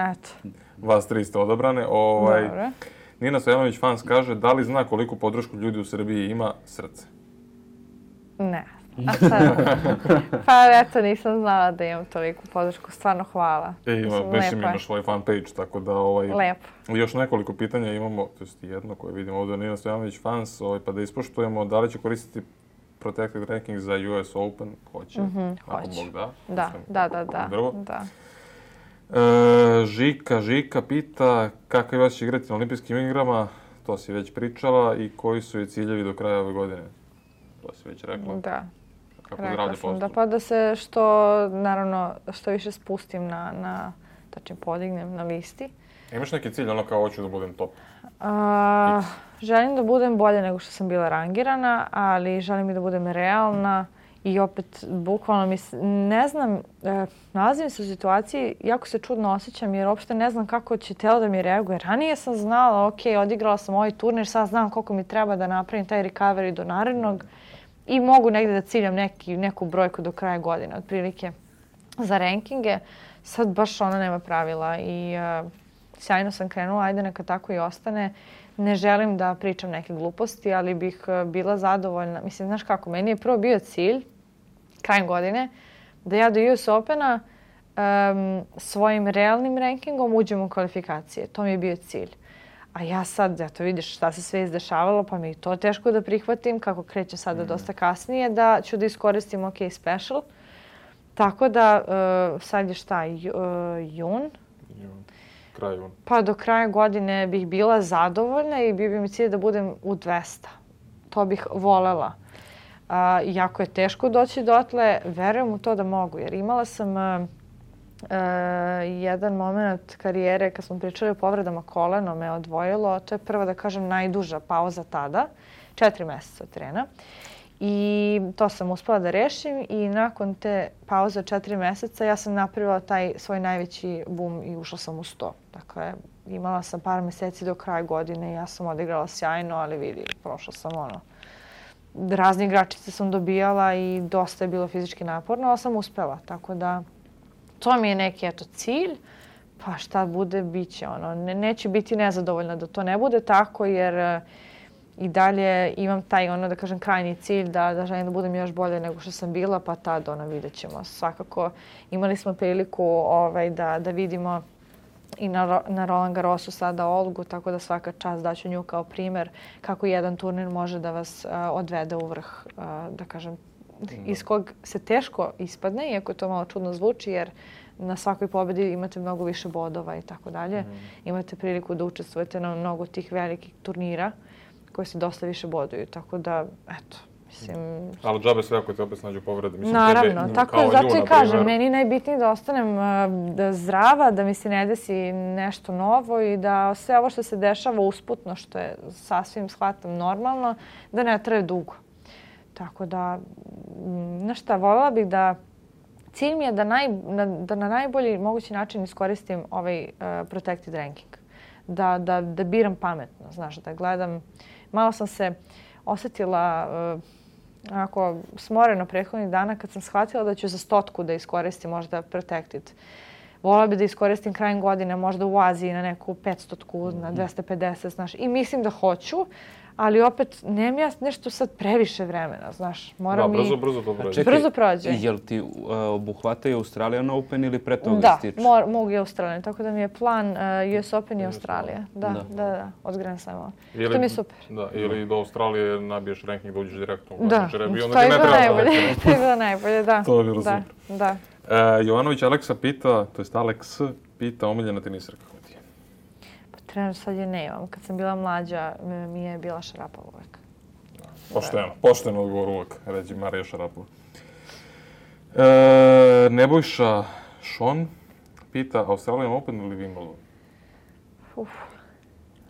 Vas 3 ste odabrane. Dobro. Nina Stojanović Fans kaže da li zna koliko podršku ljudi u Srbiji ima srce? Ne. A sad? Pa eto, nisam znala da imam toliku podršku. Stvarno hvala. Imaš svoj fan page, tako da... Lepo. Još nekoliko pitanja imamo, to je jedno koje vidimo ovdje, Nina Stojanović Fans, pa da ispoštujemo da li će koristiti Protected Ranking za US Open? Hoće. Ako Bog da. Da. Žika pita kako je vas igrati na olimpijskim igrama, to si već pričala, i koji su je ciljevi do kraja ove godine? To si već rekla. Da. Kako zdravlje postoji? Pa da se što više spustim tačnije podignem na listi. Imaš neki cilj, kao hoću da budem top? Želim da budem bolje nego što sam bila rangirana, ali želim i da budem realna. I opet, bukvalno, ne znam, nalazim se u situaciji, jako se čudno osjećam jer uopšte ne znam kako će telo da mi reaguje. Ranije sam znala, odigrala sam ovaj turnir, sad znam koliko mi treba da napravim taj recovery do narednog i mogu negdje da ciljam neku brojku do kraja godine, otprilike za rankinge. Sad baš nema pravila i sjajno sam krenula, ajde neka tako i ostane. Ne želim da pričam neke gluposti, ali bih bila zadovoljna. Mislim, znaš kako, meni je prvo bio cilj, krajem godine, da ja do US Opena svojim realnim rankingom uđem u kvalifikacije. To mi je bio cilj. A ja sad, eto vidiš šta se sve izdešavalo, pa mi je to teško da prihvatim, kako kreće sada dosta kasnije, da ću da iskoristim OK Special. Tako da, sad je šta, jun? Kraj juna. Pa do kraja godine bih bila zadovoljna i bio bi mi cilj da budem u 200. To bih volela. Jako je teško doći dotle, verujem u to da mogu, jer imala sam jedan moment karijere kad smo pričali o povredama koleno, me odvojilo. To je prvo, da kažem, najduža pauza tada, 4 mjeseca od trena. I to sam uspela da rešim i nakon te pauze od 4 mjeseca ja sam napravila taj svoj najveći boom i ušla sam u 100. Dakle, imala sam par mjeseci do kraja godine i ja sam odigrala sjajno, ali vidi, prošla sam razne igračice sam dobijala i dosta je bilo fizički naporno, ali sam uspela. Tako da, to mi je neki cilj, pa šta bude, bit će Neću biti nezadovoljna da to ne bude tako, jer i dalje imam taj, da kažem, krajnji cilj da želim da budem još bolje nego što sam bila, pa tad vidjet ćemo. Svakako imali smo priliku da vidimo i na Roland Garrosu sada Olgu, tako da svaka čast daću nju kao primjer kako jedan turnir može da vas odvede u vrh, da kažem, iz kog se teško ispadne, iako to malo čudno zvuči, jer na svakoj pobjedi imate mnogo više bodova i tako dalje. Imate priliku da učestvujete na mnogo tih velikih turnira koji se dosta više boduju, tako da, eto, mislim... Ali džabe sve ako te opet snađu povrede. Naravno, tako je, zato i kažem, meni najbitnije da ostanem zdrava, da mi se ne desi nešto novo i da sve ovo što se dešava usputno, što je sasvim, shvatam, normalno, da ne traje dugo. Tako da, znaš šta, voljela bih da... Cilj mi je da na najbolji mogući način iskoristim ovaj protected ranking. da biram pametno, znaš, da gledam. Malo sam se osjetila onako smoreno prethodnih dana kad sam shvatila da ću za 100 da iskoristim možda Protected. Volila bi da iskoristim krajem godine možda u Aziji na neku 500, na 250, znaš. I mislim da hoću, ali opet nemam ja nešto sad previše vremena, znaš. Moram brzo to prođe. Brzo prođe. Jel ti obuhvataju Australian Open ili pre toga stiče? Da, mogu i Australian, tako da mi je plan US Open i Australija. Da, od Grand Slama. Što mi je super. Da, ili do Australije nabiješ ranking da uđeš direktno u Da, to je bilo najbolje, da. To je bilo super. Da. Jovanović Aleksa pita, to jest Aleks pita, omiljena tenisarka koja ti je? Pa trenutno sad je nemam. Kad sam bila mlađa, mi je bila Šarapova uvek. Pošteno odgovor uvek, reći Marija Šarapova. Nebojša Šon pita, Australian Open ili Wimbledon?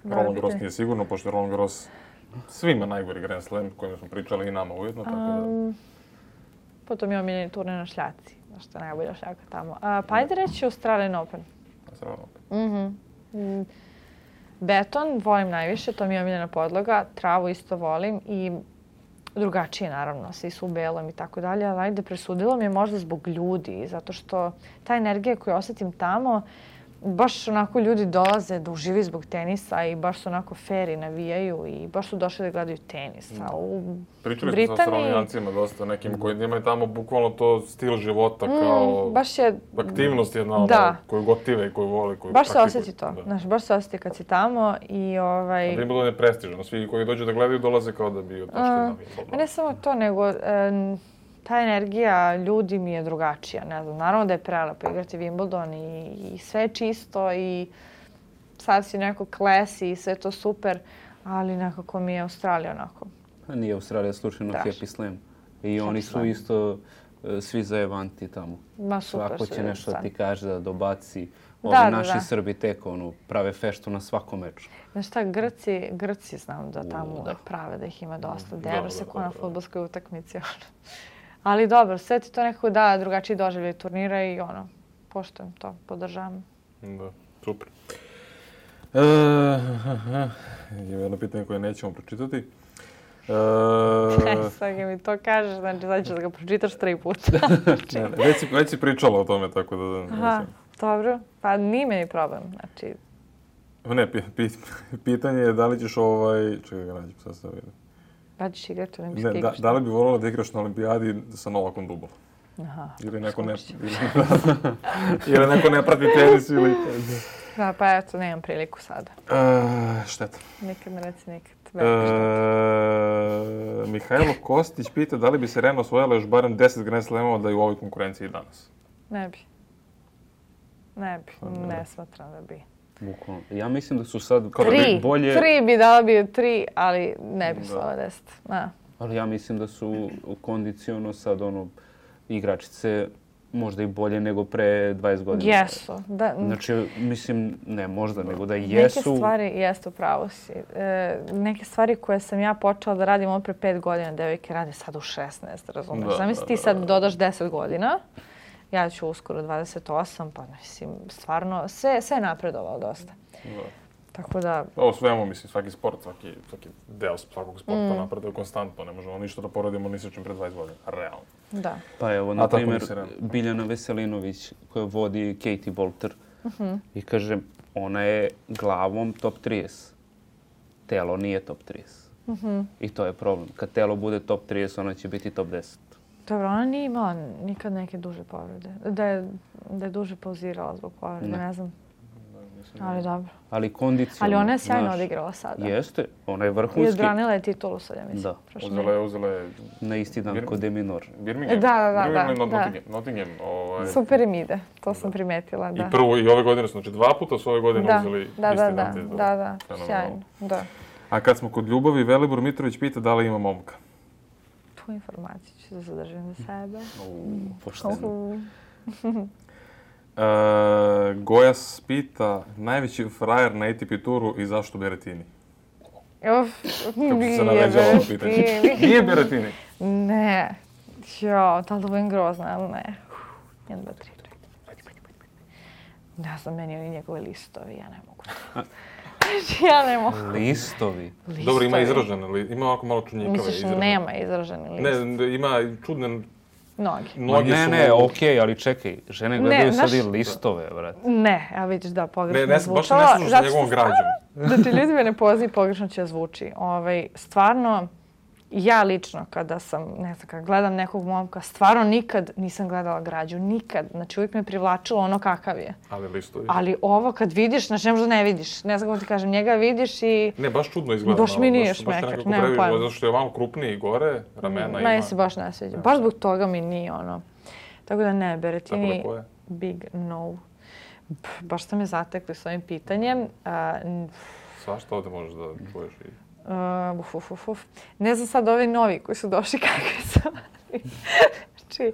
Roland Garros nije sigurno, pošto je Roland Garros svima najgori Grand Slam kojima smo pričali i nama ujedno, tako da... Potom je omiljeni turnir na šljaci, što je najbolja šljaka tamo. Pa ajde reći Australian Open. Australian Open. Beton volim najviše, to mi je omiljena podloga. Travu isto volim i drugačije naravno, svi su u belom i tako dalje, ali ajde presudilo mi je možda zbog ljudi, zato što ta energija koju osjetim tamo, baš onako ljudi dolaze da uživaju zbog tenisa i baš su onako fair i navijaju i baš su došli da gledaju tenis. A u Pričali smo sa Australijancima dosta, nekim koji imaju tamo bukvalno to stil života kao baš je, aktivnost jedna koju gotive i koju vole. Koju baš se osjeti to, znaš, baš se osjeti kad si tamo i A Wimbledon je prestižan, svi koji dođu da gledaju dolaze kao da bi otašli na Wimbledon. Ne samo to, nego ta energija ljudi mi je drugačija. Ne znam, naravno da je prelepo igrati Wimbledon i sve je čisto i sad si neko klesi i sve to super, ali nekako mi je Australija onako. Nije Australija slučajno Happy Slam. I oni su isto svi zajevanti tamo. Ma super. Svako će nešto ti kaže da dobaci. Ovi naši Srbi tek prave feštu na svakom meču. Znaš šta, Grci znam da tamo prave, da ih ima dosta. Deru se ko na fudbalskoj utakmici. Ali dobro, sve ti to nekako da drugačiji doživljaj turnira i poštujem to, podržavam. Da, super. Ima jedno pitanje koje nećemo pročitati. Sad mi to kažeš, znači sad ćeš da ga pročitaš 3 puta. Već si pričala o tome, tako da... Aha, dobro. Pa nije mi problem, znači... Ne, pitanje je da li ćeš Čekaj ga nađem, sad sam vidim. Da ćeš igrati olimpijski igraš? Da li bi volila da igraš na olimpijadi sa Novakom Dubom? Aha, ili neko ne prati tenis ili... Da, pa eto, nemam priliku sada. Šteta. Nikad ne reci nikad. Mihajlo Kostić pita da li bi Serena osvojila još barem 10 Grand Slamova da je u ovoj konkurenciji danas? Ne bi. Ne smatram da bi. Bukvalno. Ja mislim da su sad bolje... 3 bi dala bi 3, ali ne bi slava 10. Da. Ali ja mislim da su kondiciono sad igračice možda i bolje nego pre 20 godina. Jesu. Znači, mislim, ne možda, nego da jesu... Neke stvari, jeste, upravo si. Neke stvari koje sam ja počela da radim pre 5 godina, devojke rade sad u 16, razumiješ? Zamisli ti sad dodaš 10 godina, ja ću uskoro 28, pa mislim, stvarno, sve je napredovalo dosta. Tako da... Ovo svemu, mislim, svaki sport, svaki deo svakog sporta napreduje konstantno. Ne možemo ništa da poradimo ni sa čim pre 20 godina. Realno. Da. Pa evo, na primjer, Biljana Veselinović koja vodi Katie Bolter i kaže, ona je glavom top 30. Telo nije top 30. I to je problem. Kad telo bude top 30, ona će biti top 10. Dobro, ona nije imala nikad neke duže povrede. Da je duže pauzirala zbog povrede, ne znam. Ali dobro. Ali kondicionalno. Ali ona je sjajno odigrala sada. Jeste, ona je vrhunski. I odbranila je titulu sad, ja mislim. Da. Uzela je... Na isti dan kod De Minaur. Birmingham? Da. Nottingham. Super im ide, to sam primetila, da. I prvo i ove godine su, znači 2 puta su ove godine uzeli isti dan. Da, sjajno, da. A kad smo kod ljubavi, Velibor Mitrović pita da li ima momka. Tu informaciju ću da zadržim za sebe. Pošteno. Gojas pita, najveći frajer na ATP turu i zašto Berrettini? Nije Berrettini? Ne. Jo, da li da budem grozna, ali ne. 1, 2, 3. Ne znam, meni oni njegove listovi, ja ne mogu. Znači, ja ne mogu. Listovi. Dobro, ima izražene, ima ovako malo čunjikave Misliš, izražene. nema izraženi list? Ne, ima čudne... Noge. Ne, okej, ali čekaj, žene gledaju sad i listove, brate. Ne, ja vidiš da pogrešno Ne, zvučalo. baš ne slušaš sa njegovom građom. Znači, ljudi me ne poznaju, pogrešno će zvuči. Stvarno, ja lično kada sam, ne znam, kada gledam nekog momka, stvarno nikad nisam gledala građu, nikad. Znači, uvijek me privlačilo ono kakav je. Ali listovi. Ali ovo kad vidiš, znači ne možda ne vidiš. Ne znam kako ti kažem, njega vidiš i... Ne, baš čudno izgleda. Baš mi nije šmeker, nema pojma. Zato što je malo krupniji gore, ramena ima. Meni se baš ne sviđa. Baš zbog toga mi nije ono. Tako da ne, Berettini, Tako da koje? big no. Baš ste me zatekli s ovim pitanjem. Svašta ovdje možeš da čuješ i... Ne znam sad ovi novi koji su došli kakvi su. Znači,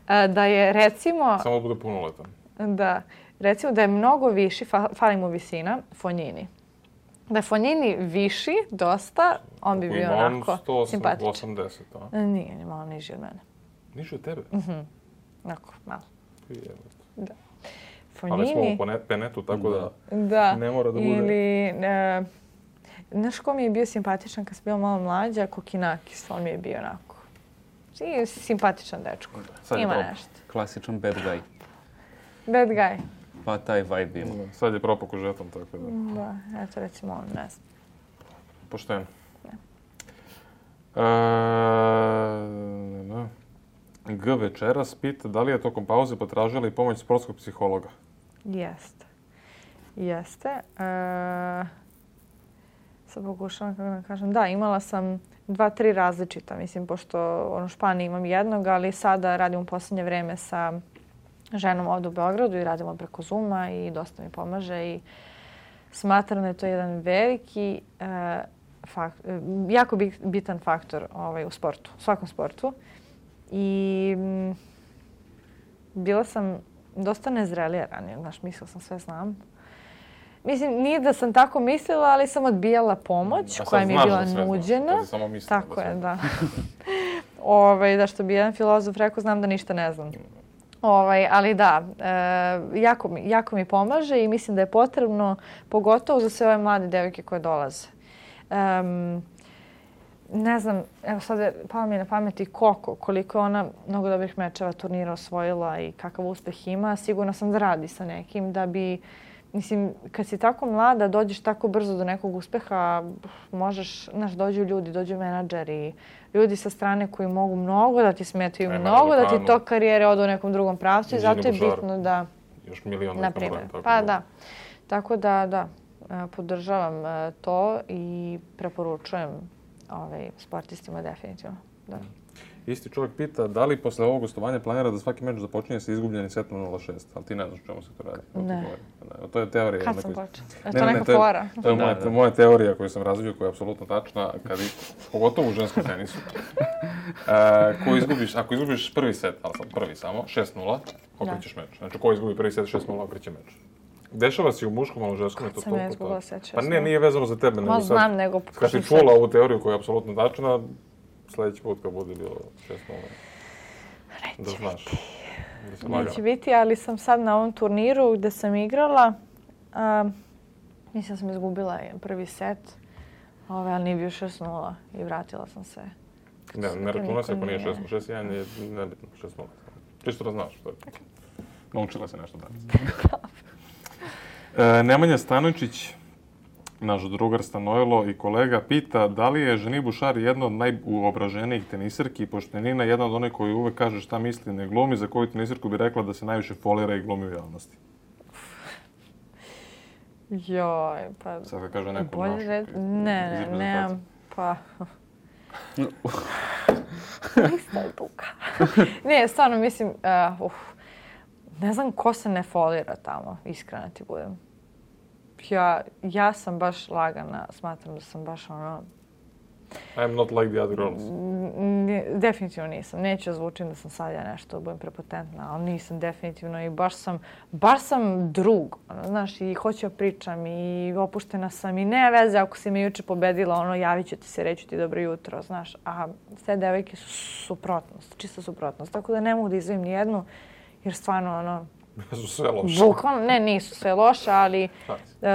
da je recimo... Samo da bude punoletan. Da, recimo da je mnogo viši, fali mu visina, Fognini. Da je Fognini viši dosta, on bi bio onako simpatičan. Ima on 180, a? Nije, ni malo niži od mene. Niži od tebe? Onako, malo. Da. Ali smo u penetu, tako da ne mora da bude... Ili, znaš ko mi je bio simpatičan kad sam bila malo mlađa? Kokinakis, on mi je bio onako. I simpatičan dečko. Ima nešto. Klasičan bad guy. Bad guy. Pa taj vibe ima. Sad je propao kožetom, tako da... Da, eto recimo on, ne znam. Pošteno. G večeras pita da li je tokom pauze potražila i pomoć sportskog psihologa? Jeste. Sad pokušavam kako da kažem. Da, imala sam 2-3 različita. Mislim, pošto u Španiji imam jednog, ali sada radim u posljednje vreme sa ženom ovdje u Beogradu i radimo preko Zooma i dosta mi pomaže i smatram da je to jedan veliki, jako bitan faktor u sportu, u svakom sportu. I bila sam dosta nezrelija ranije, znaš, mislila sam sve znam. Mislim, nije da sam tako mislila, ali sam odbijala pomoć koja mi je bila nuđena. Sad samo mislila. Tako je, da. Da što bi jedan filozof rekao, znam da ništa ne znam. Ali da, jako mi pomaže i mislim da je potrebno, pogotovo za sve ove mlade devojke koje dolaze. Ne znam, evo sad je palo mi na pameti koliko je ona mnogo dobrih mečeva turnira osvojila i kakav uspeh ima. Sigurno sam da radi sa nekim da bi, mislim, kad si tako mlada, dođeš tako brzo do nekog uspeha, možeš, znaš, dođu ljudi, dođu menadžeri, ljudi sa strane koji mogu mnogo da ti smetaju, mnogo da ti to karijere odu u nekom drugom pravcu i zato je bitno da... Još milion na primjer. Pa da. Tako da, podržavam to i preporučujem sportistima definitivno. Da. Isti čovjek pita da li posle ovog gostovanja planira da svaki meč započinje sa izgubljenim setom 0-6, ali ti ne znaš o čemu se to radi. Ne. To je teorija. Kad sam počela? Je to neka fora? To je moja teorija koju sam razvio, koja je apsolutno tačna, pogotovo u ženskom tenisu. Ako izgubiš prvi set, ali sam prvi samo, 6-0, okrećeš meč. Znači, ko izgubi prvi set 6-0, okreće meč. Dešava se u muškom, ali u ženskom je to toliko. Kad sam ja izgubila set 6-0. Pa ne, nije vezano za tebe. Ma znam, nego... Kad si čula ovu teoriju koja je apsolutno tačna, sljedeći put kad bude bilo 6-0. Da znaš. Neće biti, ali sam sad na ovom turniru gdje sam igrala. Mislim da sam izgubila prvi set, ali nije bio 6-0 i vratila sam se. Ne računa se ako nije 6-0. 6-1 je nebitno, 6-0. Čisto da znaš. Naučila se nešto danas. Nemanja Stanojčić, naš drugar Stanojlo i kolega, pita da li je Ženi Bušar jedna od najuobraženijih tenisirki, pošto je Nina jedna od onih koji uvek kaže šta misli, ne glumi, za koju tenisirku bi rekla da se najviše folira i glumi u javnosti. Joj, pa... Sad kad kaže neku našu. Nemam, pa... Lista je duga. Ne, stvarno mislim, ne znam ko se ne folira tamo, iskreno ti budem. Ja sam baš lagana, smatram da sam baš ono... I'm not like the other girls. Definitivno nisam. Neću zvučim da sam sad ja nešto, budem prepotentna, ali nisam definitivno i baš sam drug. Znaš, i hoću da pričam i opuštena sam i ne veze ako si me juče pobedila, javit ću ti se, reću ti dobro jutro, znaš. A sve devojke su suprotnost, čista suprotnost. Tako da ne mogu da izvojim nijednu, jer stvarno, Su sve loše. Bukvalno, ne, nisu sve loše, ali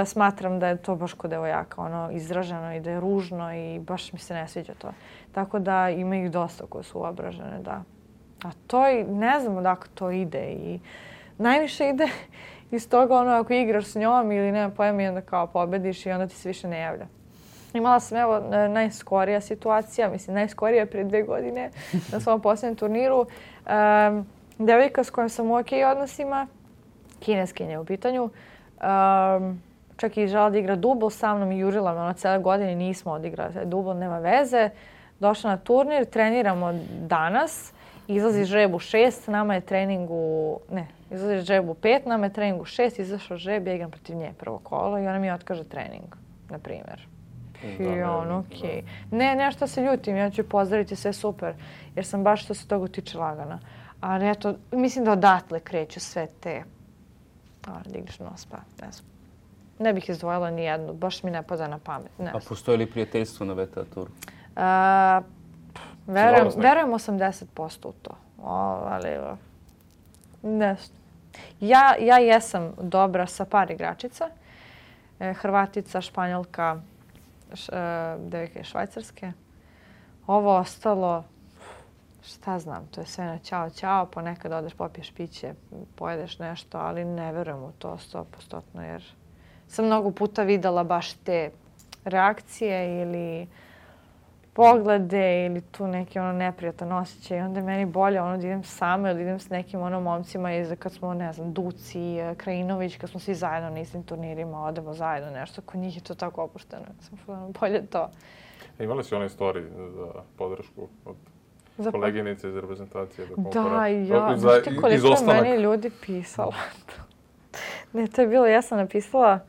smatram da je to baš kod devojaka ono, izraženo i da je ružno i baš mi se ne sviđa to. Tako da ima ih dosta koje su uobražene, da. A to i ne znam odakle to ide i najviše ide iz toga ono ako igraš s njom ili nema pojma i onda kao pobediš i onda ti se više ne javlja. Imala sam evo najskorija situacija, mislim najskorija prije 2 godine na svom posljednjem turniru. Devojka s kojom sam u okej odnosima, kineskinja u pitanju, čak i žela da igra dubl sa mnom i jurila me, ono cijele godine nismo odigrali dubl, nema veze. Došla na turnir, treniramo danas, izlazi žreb u 6, nama je trening u... Ne, izlazi žreb u 5, nama je trening u 6, izašao žreb, ja igram protiv nje prvo kolo i ona mi otkaže trening, na primjer. I on, okej. Ne, nešto se ljutim, ja ću pozdraviti, sve super, jer sam baš što se toga tiče lagana. Ali eto, mislim da odatle kreću sve te... da igraš nos, pa ne znam. Ne bih izdvojila ni jednu, baš mi ne pada na pamet. Ne. A postoji li prijateljstvo na VTA turu? Verujem 80% u to. Ali nešto. Ja jesam dobra sa par igračica. Hrvatica, Španjolka, devojka iz Švajcarske. Ovo ostalo, šta znam, to je sve na ćao, ponekad odeš, popiješ piće, pojedeš nešto, ali ne verujem u to 100% jer sam mnogo puta videla baš te reakcije ili poglede ili tu neki ono neprijatan osjećaj i onda je meni bolje ono da idem sama ili idem s nekim ono momcima iz kad smo, ne znam, Duci, Krajinović, kad smo svi zajedno na istim turnirima, odemo zajedno nešto, kod njih je to tako opušteno. Bolje to. Imali si one storij za podršku od koleginice iz reprezentacije? Da, ja. Znašte koliko je meni ljudi pisalo. Ne, to je bilo, ja sam napisala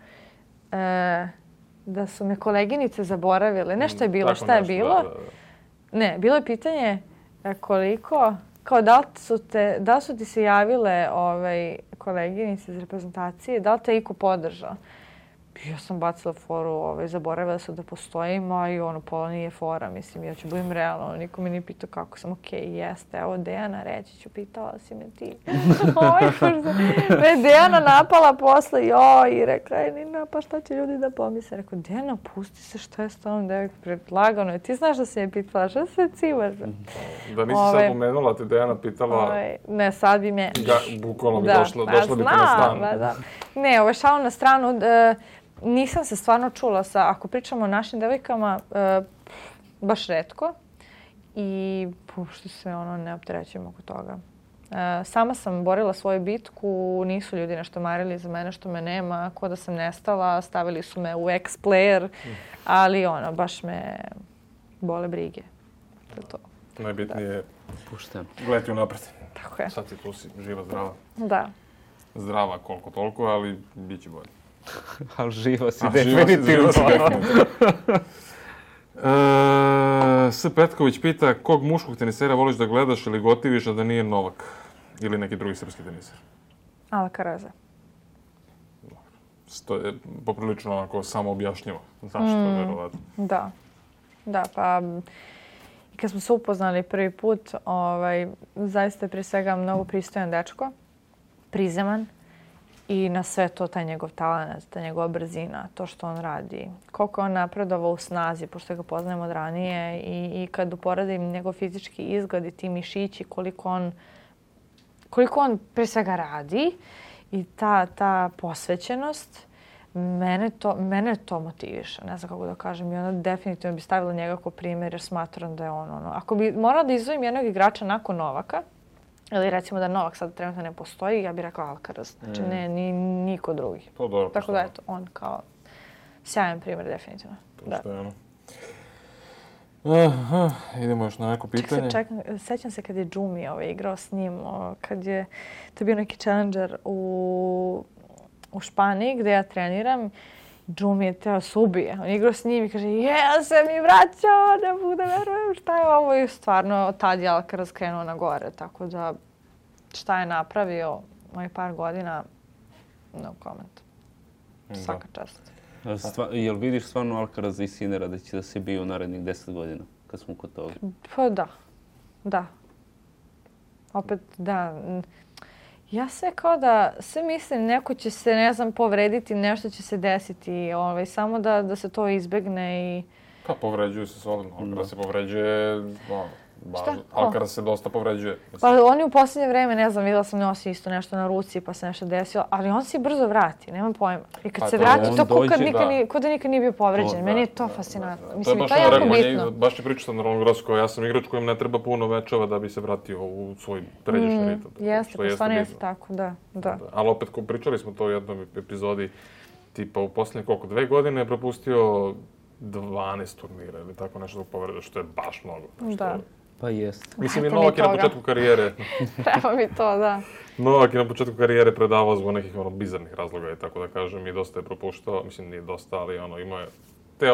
da su me koleginice zaboravile. Nešto je bilo, šta je bilo? Ne, bilo je pitanje koliko, kao da li su ti se javile koleginice iz reprezentacije, da li te iko podržao? Ja sam bacila foru, zaboravila su da postojim, a i ono, pola nije fora, mislim, ja ću budem realno, niko mi nije pitao kako sam, okej, jeste, evo Dejana, reći ću, pitala si me ti. Me Dejana napala posle, i rekla je, Nina, pa šta će ljudi da pomisle? Rekao, Dejana, pusti se, šta je s tom devojkom, predlagano je, ti znaš da si me pitala, šta se cimaš? Da nisi sad pomenula, te Dejana pitala... Ne, sad bi me... Bukvalno bi došla bi te na stan. Ne, šalu na stranu, nisam se stvarno čula ako pričamo o našim devojkama, baš retko i pušti se ne opterećujem oko toga. Sama sam borila svoju bitku, nisu ljudi nešto marili za mene što me nema, ko da sam nestala, stavili su me u ex-player, ali baš me bole brige. To je to. Najbitnije je gledati unapred. Tako je. Sad si tu si živa, zdrava. Da. Zdrava koliko toliko, ali bit će bolje. Ali živa si definitivno. S. Petković pita kog muškog tenisera voliš da gledaš ili gotiviš, a da nije Novak ili neki drugi srpski teniser? Alcaraza. To je poprilično onako samo objašnjivo. Zašto, verovatno. Da, pa i kad smo se upoznali prvi put, zaista je prije svega mnogo pristojan dečko, prizeman. I na sve to, taj njegov talent, ta njegova brzina, to što on radi. Koliko on napredovao u snazi, pošto ga poznajem od ranije i kad uporedim njegov fizički izgled i ti mišići, koliko on pre svega radi i ta posvećenost, mene to motiviše. Ne znam kako da kažem. I onda definitivno bi stavila njega kao primjer jer smatram da je on Ako bi morala da izdvojim jednog igrača nakon Novaka, ili recimo da Novak sad trenutno ne postoji, ja bih rekla Alcaraz. Znači ne, niko drugi. To dobro. Tako da eto, on kao sjajan primjer definitivno. Poštojeno. Idemo još na neko pitanje. Sećam se kad je Džumi igrao s njim, kad je to bio neki challenger u Španiji gdje ja treniram. Džumi je teo se ubije. On je igrao s njim i kaže, ja se mi vraćao, ne mogu da verujem šta je ovo. I stvarno, tad je Alcaraz krenuo na gore. Tako da, šta je napravio mojih par godina, no comment. Svaka čast. Jel vidiš stvarno Alcaraz i Sinera da će da se biju narednih 10 godina, kad smo kod toga? Pa da. Opet, da. Ja sve kao da, sve mislim neko će se, ne znam, povrediti, nešto će se desiti, samo da se to izbegne i... Pa povređuju se solidno, Alcaraz se povređuje, Alcaraz se dosta povređuje. Pa oni u posljednje vreme, ne znam, vidjela sam nosi isto nešto na ruci pa se nešto desilo, ali on se brzo vrati, nemam pojma. I kad se vrati, to ko da nikad nije bio povređen. Meni je to fascinantno. Mislim, to je jako bitno. Baš je pričao sa Roland Garrosom, ja sam igrač kojem ne treba puno mečeva da bi se vratio u svoj pređašnji ritam. Jeste, pa stvarno jeste tako, da. Ali opet, pričali smo to u jednom epizodi, tipa u posljednje 2 godine je propustio 12 turnira ili tako nešto povreda, što je baš mnogo. Da. Pa jest. Mislim, i Novak je na početku karijere... Treba mi to, da. Novak je na početku karijere predavao zbog nekih bizarnih razloga, tako da kažem, i dosta je propuštao. Mislim, nije dosta, ali imao je te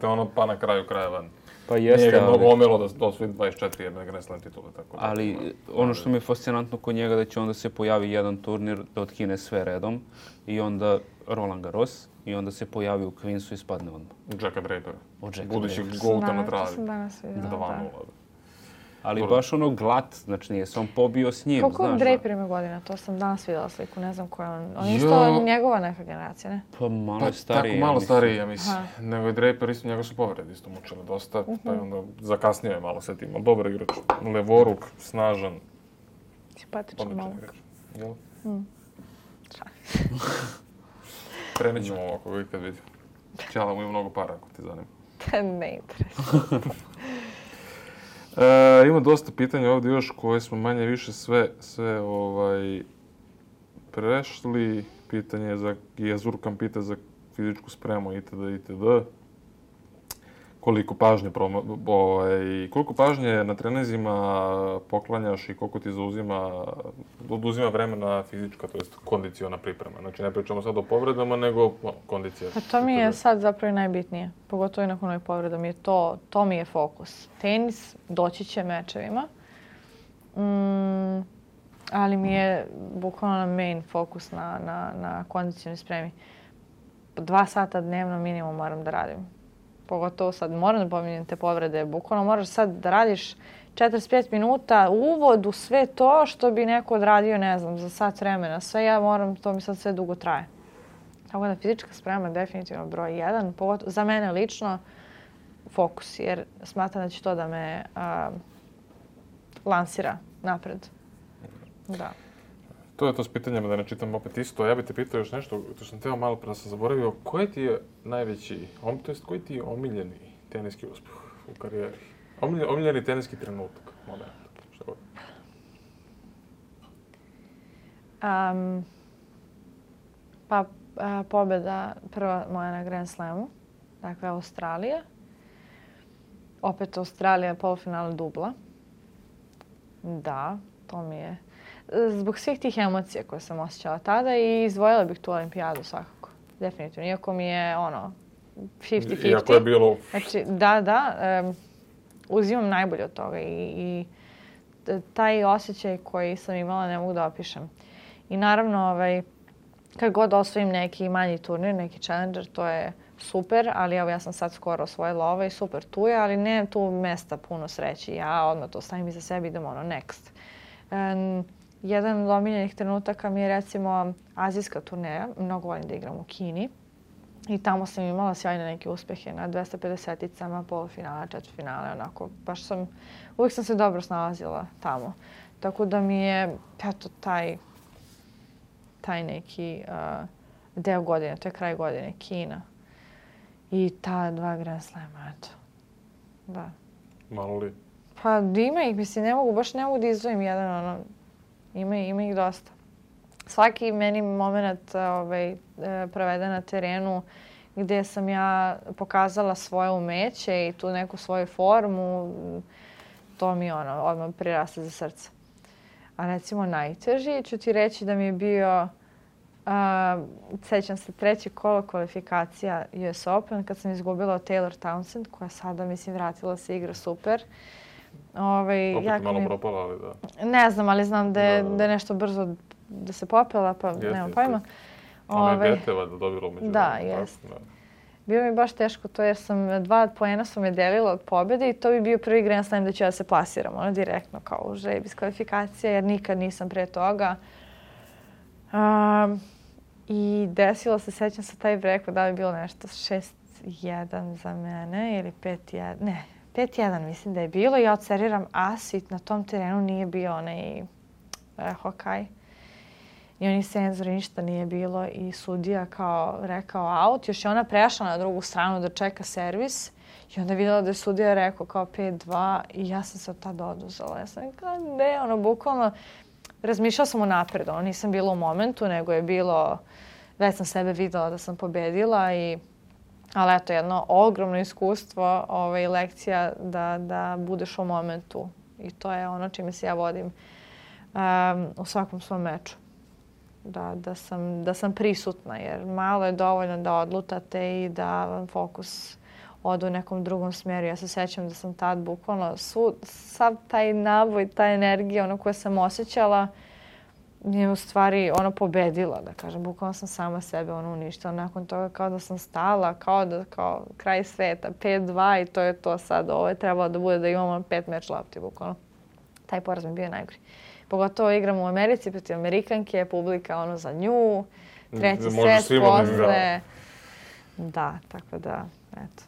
ono, pa na kraju krajeva. Pa jeste, nije ga mnogo omelo da osvoji 24 jedne Grand Slam titule, tako da. Ali ono što mi je fascinantno kod njega da će onda se pojavi jedan turnir da otkine sve redom i onda Roland Garros i onda se pojavi u Queensu i spadne odmah. Jacka Drapera. Budućeg Draper. Golda na travi. To sam danas vidjela, da. Ali baš ono glat, znači nije se on pobio s njim, koliko znaš. Draper ima godina? To sam danas vidjela sliku, ne znam koja on. On je isto njegova neka generacija, ne? Pa malo stariji. Tako malo stariji, ja mislim. Nego je Draper, isto njega su povrede isto mučile dosta, pa je onda zakasnio je malo sve tim. Ali dobar igrač, levoruk, snažan. Simpatičan momak. Jel? Prenećemo ovo ako ga ikad vidim. Ćala mu ima mnogo para ako ti zanima. Ne interesuje. Ima dosta pitanja ovdje još koje smo manje više sve prešli. Pitanje za Jazurkan pita za fizičku spremu itd. Koliko pažnje na trenizima poklanjaš i koliko ti oduzima vremena fizička, to jest kondiciona priprema. Znači ne pričamo sad o povredama, nego kondicija. Pa to mi je sad zapravo najbitnije, pogotovo i nakon ovih povreda. To mi je fokus. Tenis, doći će mečevima, ali mi je bukvalno main fokus na kondicionoj spremi. 2 sata dnevno minimum moram da radim. Pogotovo sad moram da pominjem te povrede. Bukvalno moraš sad da radiš 45 minuta uvod u sve to što bi neko odradio, ne znam, za sat vremena. Sve ja moram, to mi sad sve dugo traje. Tako da fizička sprema je definitivno broj 1. Pogotovo za mene lično fokus, jer smatram da će to da me lansira napred. Da. To je to s pitanjama, da ne čitam opet isto. Ja bih te pitao još nešto, to sam teo malo da sam zaboravio. Koji ti je najveći, koji ti je omiljeni teniski uspjeh u karijeri? Omiljeni teniski trenutak, moment, šta god. Pobjeda prva moja na Grand Slamu, dakle Australija. Opet Australija, polufinale dubla. Da, to mi je... Zbog svih tih emocija koje sam osjećala tada i izdvojila bih tu olimpijadu svakako. Definitivno. Iako mi je 50-50. Iako je bilo... Znači, uzimam najbolje od toga i taj osjećaj koji sam imala ne mogu da opišem. I naravno, kad god osvojim neki manji turnir, neki challenger, to je super, ali evo ja sam sad skoro osvojila i super tu je, ali ne tu mesta puno sreći. Ja odmah to stavim iza sebe i idem next. Jedan od omiljenih trenutaka mi je recimo azijska turneja. Mnogo volim da igram u Kini. I tamo sam imala sjajne neke uspjehe na 250-icama, polufinale, četvrtfinale, onako. Uvijek sam se dobro snalazila tamo. Tako da mi je, eto, taj neki deo godine, to je kraj godine, Kina. I ta 2 Grand Slama, eto. Da. Malo li? Pa ima ih, mislim, ne mogu da izdvojim jedan, ima ih dosta. Svaki meni moment proveden na terenu gdje sam ja pokazala svoje umeće i tu neku svoju formu, to mi odmah priraste za srce. A recimo najteži ću ti reći da mi je bio, sjećam se, 3. kolo kvalifikacija US Open kad sam izgubila od Taylor Townsend, koja sada, mislim, vratila se, igra super. Opet malo propala, ali da. Ne znam, ali znam da je nešto brzo da se popela, pa nemam pojma. Ona je Beteva da dobila umeđu. Da, jest. Bilo mi baš teško to jer 2 poena su me delila od pobjede i to bi bio prvi Grand Slam da ću ja se plasiram, direktno kao u žrebi iz kvalifikacije, jer nikad nisam pre toga. I desilo se, sećam se taj break, da bi bilo nešto 6-1 za mene ili 5-1, ne, 5-1 mislim da je bilo. Ja odseriram as i na tom terenu nije bio onaj hokaj. I oni senzori, ništa nije bilo i sudija kao rekao out. Još je ona prešla na drugu stranu da čeka servis i onda je vidjela da je sudija rekao kao 5-2 i ja sam se od tada oduzela. Ja sam kao ne, bukvalno razmišljala sam unapred, nisam bila u momentu, nego je bilo, već sam sebe videla da sam pobedila ali eto, jedno ogromno iskustvo, lekcija da budeš u momentu i to je ono čime se ja vodim u svakom svom meču. Da sam prisutna, jer malo je dovoljno da odlutate i da vam fokus ode u nekom drugom smjeru. Ja se sjećam da sam tad bukvalno sav taj naboj, ta energija koju sam osjećala je u stvari pobedila, da kažem. Bukvalno sam sama sebe uništila. Nakon toga kao da sam stala, kao kraj sveta, 5-2 i to je to sad. Ovo je trebalo da bude da imamo 5 meč lopti, bukvalno. Taj poraz mi bio najgori. Pogotovo igram u Americi protiv Amerikanke, publika za nju, treći set posle. Da, tako da, eto.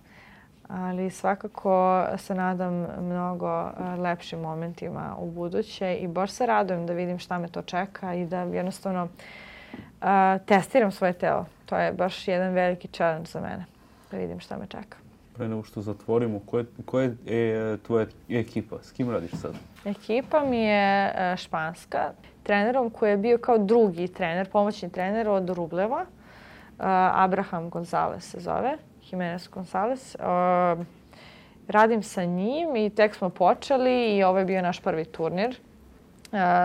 Ali svakako se nadam mnogo lepšim momentima u buduće i baš se radujem da vidim šta me to čeka i da jednostavno testiram svoje telo. To je baš jedan veliki challenge za mene, da vidim šta me čeka. Pre nego što zatvorimo, koja je tvoja ekipa? S kim radiš sad? Ekipa mi je španska. Trenerom koji je bio kao drugi trener, pomoćni trener od Rubleva. Abraham Gonzalez se zove. Jimenez Gonzalez. Radim sa njim i tek smo počeli i ovo je bio naš prvi turnir.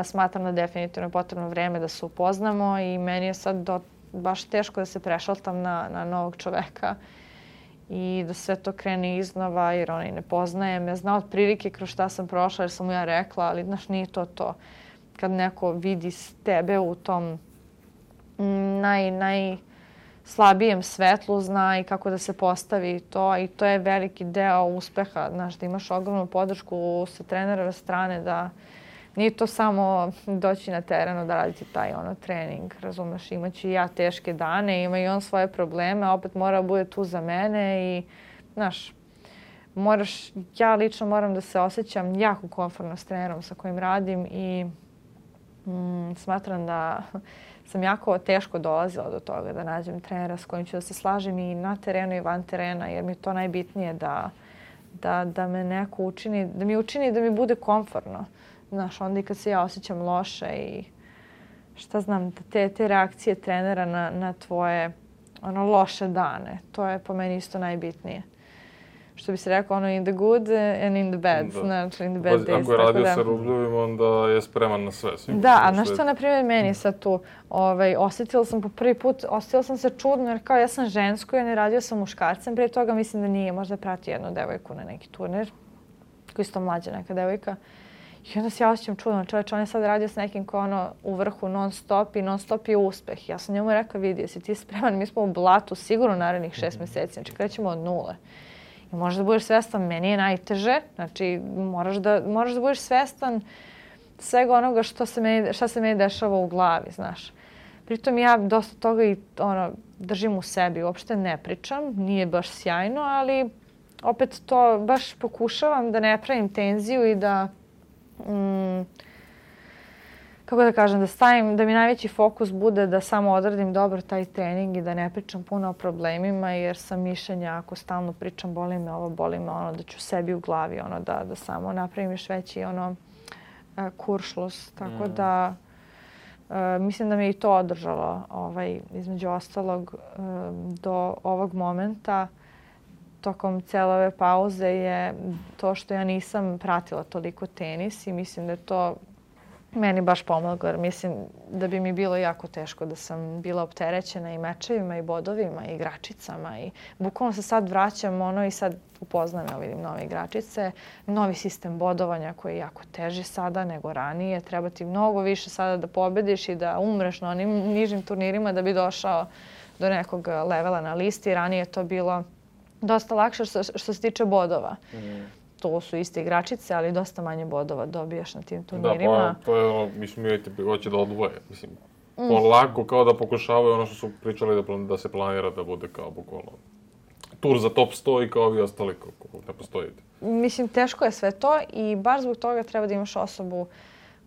Smatram da definitivno je potrebno vreme da se upoznamo i meni je sad baš teško da se prešaltam na novog čoveka i da sve to krene iznova jer ona i ne poznajem. Ja znam otprilike kroz šta sam prošla jer sam mu ja rekla, ali znaš, nije to. Kad neko vidi tebe u tom najslabijem svetlu, zna i kako da se postavi to i to je veliki deo uspeha. Znaš, da imaš ogromnu podršku sa trenerove strane, da nije to samo doći na terenu da raditi taj trening, razumeš, imaću i ja teške dane, ima i on svoje probleme, opet mora bude tu za mene i, znaš, ja lično moram da se osjećam jako komfortno s trenerom sa kojim radim i smatram da sam jako teško dolazila do toga da nađem trenera s kojim ću da se slažem i na terenu i van terena, jer mi je to najbitnije da me neko učini, da mi bude komfortno. Znaš, onda i kad se ja osjećam loše i šta znam, te reakcije trenera na tvoje loše dane, to je po meni isto najbitnije. Što bi se rekao, in the good and in the bad, znači in the bad days. Ako je radio sa Rubljevim, onda je spreman na sve. Da, a na što, na primjer, meni sad tu, osjetila sam po prvi put, osjetila sam se čudno, jer kao ja sam žensko i ne radio sam muškarcem, prije toga mislim da nije, možda prati jednu devojku na neki turnir, koja je isto mlađa neka devojka. I onda se ja osjećam čudno, čovječ, on je sad radio s nekim ko u vrhu non stop i non stop je uspeh. Ja sam njemu rekla, vidi, jesi ti spreman, mi smo u blatu sigurno narednih 6 mjeseci, znači krećemo od nule. I možeš da budeš svestan, meni je najteže, znači moraš da budeš svestan svega onoga šta se meni dešava u glavi, znaš. Pritom ja dosta toga i držim u sebi, uopšte ne pričam, nije baš sjajno, ali opet to baš pokušavam da ne pravim tenziju i da kako da kažem, da mi najveći fokus bude da samo odradim dobro taj trening i da ne pričam puno o problemima, jer sam mišljenja ako stalno pričam boli me ovo, boli me ono, da ću sebi u glavi da samo napravim još veći kuršlus. Tako da mislim da me i to održalo između ostalog do ovog momenta. Tokom cijele ove pauze je to što ja nisam pratila toliko tenis i mislim da je to meni baš pomoglo, jer mislim da bi mi bilo jako teško da sam bila opterećena i mečevima i bodovima i igračicama i bukvalno se sad vraćam i sad upoznajem, vidim nove igračice, novi sistem bodovanja koji je jako teži sada nego ranije, treba ti mnogo više sada da pobediš i da umreš na onim nižim turnirima da bi došao do nekog levela na listi. Ranije je to bilo dosta lakše što se tiče bodova. To su iste igračice, ali dosta manje bodova dobijaš na tim turnirima. Da, pa to je mislim, hoće da odvoje. Mislim, polako kao da pokušavaju ono što su pričali da se planira da bude kao bukvalno tur za top 100 i kao ovi ostali kako ne postojite. Mislim, teško je sve to i baš zbog toga treba da imaš osobu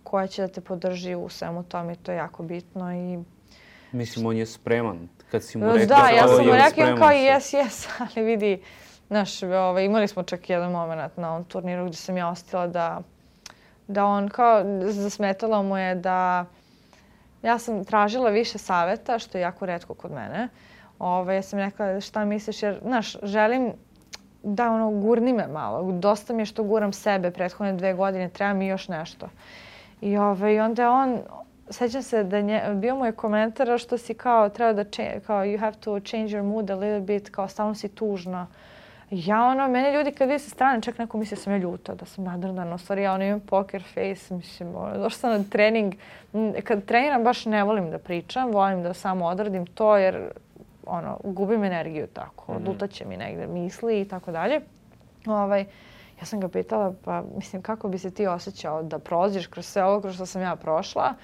koja će da te podrži u svemu tome i to je jako bitno. Mislim, on je spreman. Kad si mu rekao da, ja sam mu rekao on kao yes, ali vidi, znaš, imali smo čak jedan moment na ovom turniru gdje sam ja ostila da on kao zasmetalo mu je da ja sam tražila više savjeta, što je jako retko kod mene. Ja sam rekla šta misliš, jer, znaš, želim da gurni me malo. Dosta mi je što guram sebe prethodne 2 godine, treba mi još nešto. I onda on, sećam se da bio mu je komentar što si kao treba da kao you have to change your mood a little bit, kao stalno si tužna. Ja mene ljudi kad vidi sa strane, čak neko misli da sam ja ljuta, da sam nadrdana. U stvari ja imam poker face, mislim, došla sam na trening. Kad treniram baš ne volim da pričam, volim da samo odradim to jer gubim energiju tako, odlutaće mi negde misli i tako dalje. Ja sam ga pitala, pa mislim, kako bi se ti osjećao da prođeš kroz sve ovo kroz što sam ja prošla.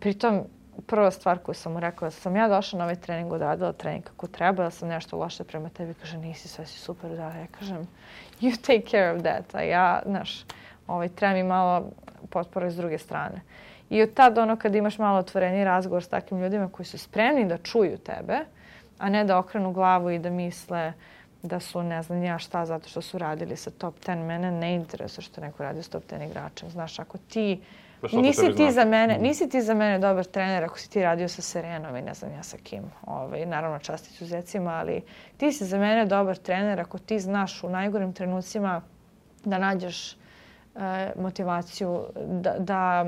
Pritom, prva stvar koju sam mu rekla, da sam ja došla na ovaj trening, odradila trening kako treba, da sam nešto loše prema tebi. Kaže, nisi, sve si super da. Ja kažem, you take care of that. A ja, znaš, treba mi malo potpora iz druge strane. I od tad kad imaš malo otvoreni razgovor s takvim ljudima koji su spremni da čuju tebe, a ne da okrenu glavu i da misle da su ne znam ja šta zato što su radili sa top 10. Mene ne interesuje što neko radi s top 10 igračem. Znaš, ako ti nisi ti za mene dobar trener ako si ti radio sa Serenom i ne znam ja sa kim. Naravno čast izuzecima, ali ti si za mene dobar trener ako ti znaš u najgorim trenucima da nađeš motivaciju, da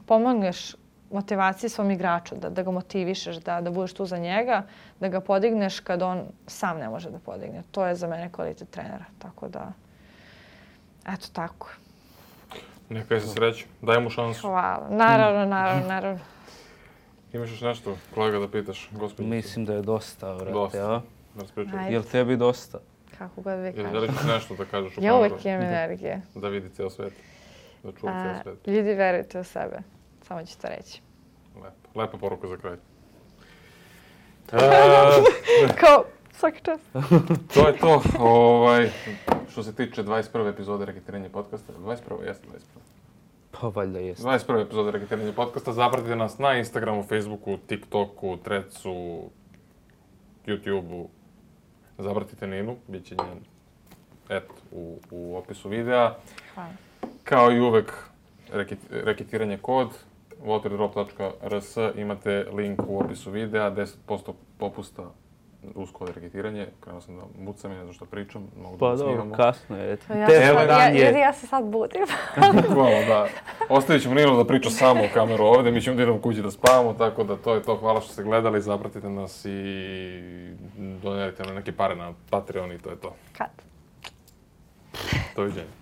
pomogneš motivaciji svom igraču, da ga motivišeš, da budeš tu za njega, da ga podigneš kad on sam ne može da podigne. To je za mene kvalitet trenera. Tako da, eto tako. Neka je se sreći. Daj mu šansu. Hvala. Naravno. Imaš još nešto, kolega, da pitaš, gospođicu? Mislim da je dosta, vrate, dosta. Jel tebi dosta? Kako god vi kažete. Jel ćeš nešto da kažeš u ja uvijek imam energije. Da vidi cijel svijet. Da čuva cijel svijet. Ljudi, verujte u sebe. Samo ću to reći. Lepa poruka za kraj. Kao, svaki čas. To je to. Što se tiče 21. epizode Reketiranje podcasta. 21. Jeste 21. Pa valjda jeste. 21. epizode Reketiranje podcasta. Zapratite nas na Instagramu, Facebooku, TikToku, Threadsu, YouTubeu. Zapratite Ninu. Biće njen u opisu videa. Hvala. Kao i uvek, reketiranje kod. waterdrop.rs, imate link u opisu videa, 10% popusta uz kod reketiranje. Krenuo sam da mucam i ne znam što pričam, mogu da snimamo. Pa dobro, kasno je. Ja se sad budim. Hvala, da. Ostavit ćemo Ninu da priča samo u kameru ovdje, mi ćemo da idemo kući da spavamo, tako da to je to. Hvala što ste gledali, zapratite nas i donerite nam neke pare na Patreon i to je to. Kad? Doviđenja.